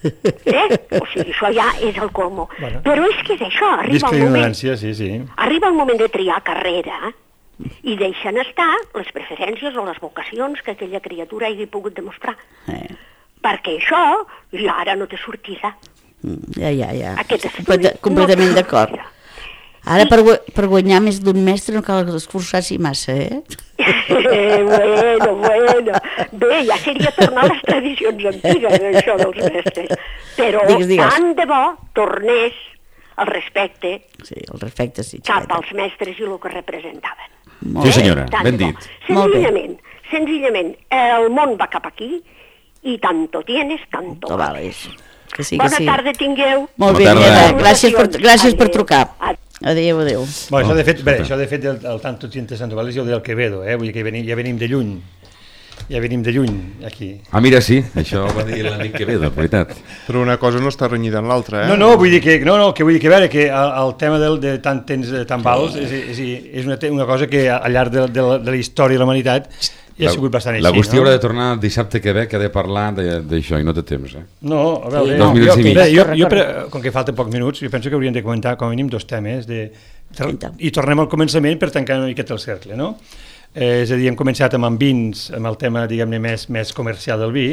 Eh? O sigui, això ja és el colmo. Bueno, però és que és això, arriba el moment... Sí, sí. Arriba el moment de triar carrera i deixen estar les preferències o les vocacions que aquella criatura hagi pogut demostrar. Eh. Perquè això ja ara no té sortida. Ja, ja, ja. Complet, completament no d'acord. Ara per, per guanyar més d'un mestre no cal esforçar-s'hi massa, eh? eh? Bueno, bueno. Bé, ja seria tornar a les tradicions antigues, això dels mestres. Però digues, digues. Tant de bo tornés el respecte, sí, el respecte sí, cap als mestres i el que representaven. Molt sí, senyora, ben dit. Senzillament, senzillament, el món va cap aquí i tanto tienes, tanto vales. Que sí, que Bona sí. tarda tingueu. Molt bé, Minerva, gràcies per, gràcies per trucar. Adéu, adéu. Bueno, això de fet, bé, això de fet el, el tanto tientes, tanto vales, jo del Quevedo, eh? Vull dir que venim, ja venim de lluny. Ja venim de lluny, aquí. Ah, mira, sí, això ho va dir l'amic Quevedo, en veritat. Però una cosa no està renyida en l'altra, eh? No, no, vull dir que, no, no, que vull dir que, a veure, que el, el tema del, de tant temps, tan vals, és, és, és una, una cosa que al llarg de, de, la, de la història de la humanitat ja ha sigut bastant així, L'Agustí no? haurà de tornar dissabte que ve, que ha de parlar d'això i no té temps, eh? No, a veure, sí, no, no, jo, jo, bé, jo, jo per, com que falten pocs minuts, jo penso que hauríem de comentar com a mínim dos temes de, i tornem al començament per tancar una miqueta el cercle, no? Eh, és a dir, hem començat amb en vins, amb el tema, diguem-ne, més, més comercial del vi,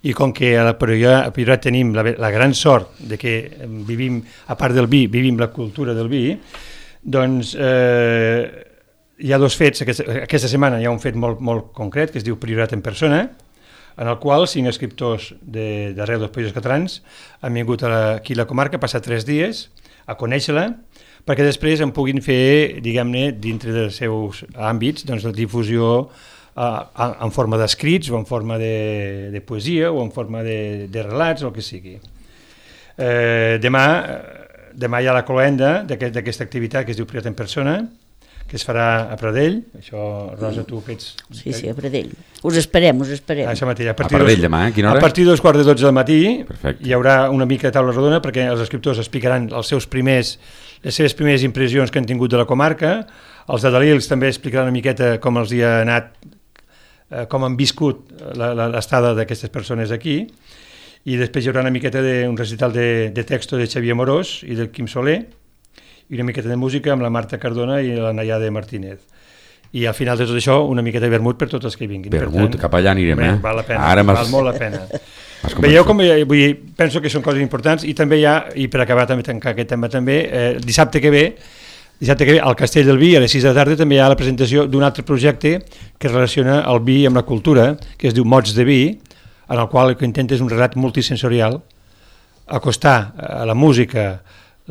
i com que a la Priorat tenim la, la gran sort de que vivim, a part del vi, vivim la cultura del vi, doncs eh, hi ha dos fets, aquesta, aquesta setmana hi ha un fet molt, molt concret que es diu Priorat en persona, en el qual cinc escriptors d'arreu dels països catalans han vingut a la, aquí a la comarca, passat tres dies, a conèixer-la, perquè després en puguin fer, diguem-ne, dintre dels seus àmbits, doncs la difusió eh, en forma d'escrits o en forma de, de poesia o en forma de, de relats o el que sigui. Eh, demà, demà hi ha la cloenda d'aquesta activitat que es diu Priat en Persona, que es farà a Pradell. Això, Rosa, tu que ets... Sí, sí, a Pradell. Us esperem, us esperem. Això mateix. A, a Pradell dos, demà, a quina hora? A partir dels quarts de dotze del matí. Perfecte. Hi haurà una mica de taula rodona perquè els escriptors explicaran els seus primers, les seves primeres impressions que han tingut de la comarca. Els de Dalils també explicaran una miqueta com els hi ha anat, eh, com han viscut l'estada d'aquestes persones aquí. I després hi haurà una miqueta d'un recital de, de texto de Xavier Morós i del Quim Soler, i una miqueta de música amb la Marta Cardona i la Nayade Martínez. I al final de tot això, una miqueta de vermut per tots els que vinguin. Vermut, cap allà anirem, eh? Val la pena, Ara val molt la pena. Veieu com, vull dir, penso que són coses importants, i també hi ha, i per acabar també tancar aquest tema també, eh, dissabte que ve, dissabte que ve al Castell del Vi, a les sis de la tarda, també hi ha la presentació d'un altre projecte que relaciona el vi amb la cultura, que es diu Mots de Vi, en el qual el que intenta és un relat multisensorial, acostar a la música,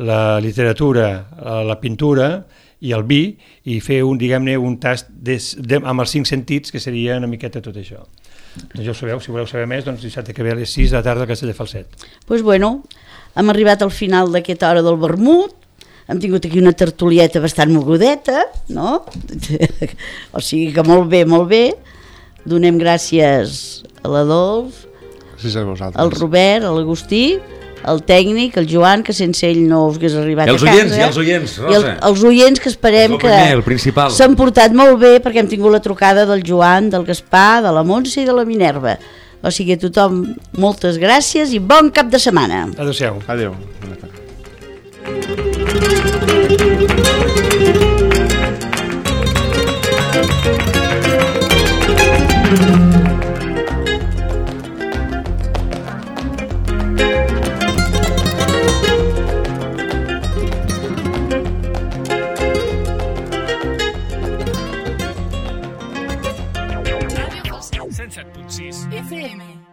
la literatura, la pintura i el vi, i fer un, diguem-ne, un tast de, de, amb els cinc sentits, que seria una miqueta tot això. Doncs ja ho sabeu, si voleu saber més, doncs dissabte que ve a les sis de la tarda al Castell de Falset. Doncs pues bueno, hem arribat al final d'aquesta hora del vermut, hem tingut aquí una tertulieta bastant mogudeta, no? O sigui que molt bé, molt bé. Donem gràcies a l'Adolf, sí, al Robert, a l'Agustí, el tècnic, el Joan, que sense ell no us hagués arribat a casa. I els oients, i els oients, Rosa. I el, els oients, que esperem que s'han portat molt bé, perquè hem tingut la trucada del Joan, del Gaspar, de la Montse i de la Minerva. O sigui, a tothom, moltes gràcies i bon cap de setmana. Adéu-siau. Adéu. cent set punt sis F M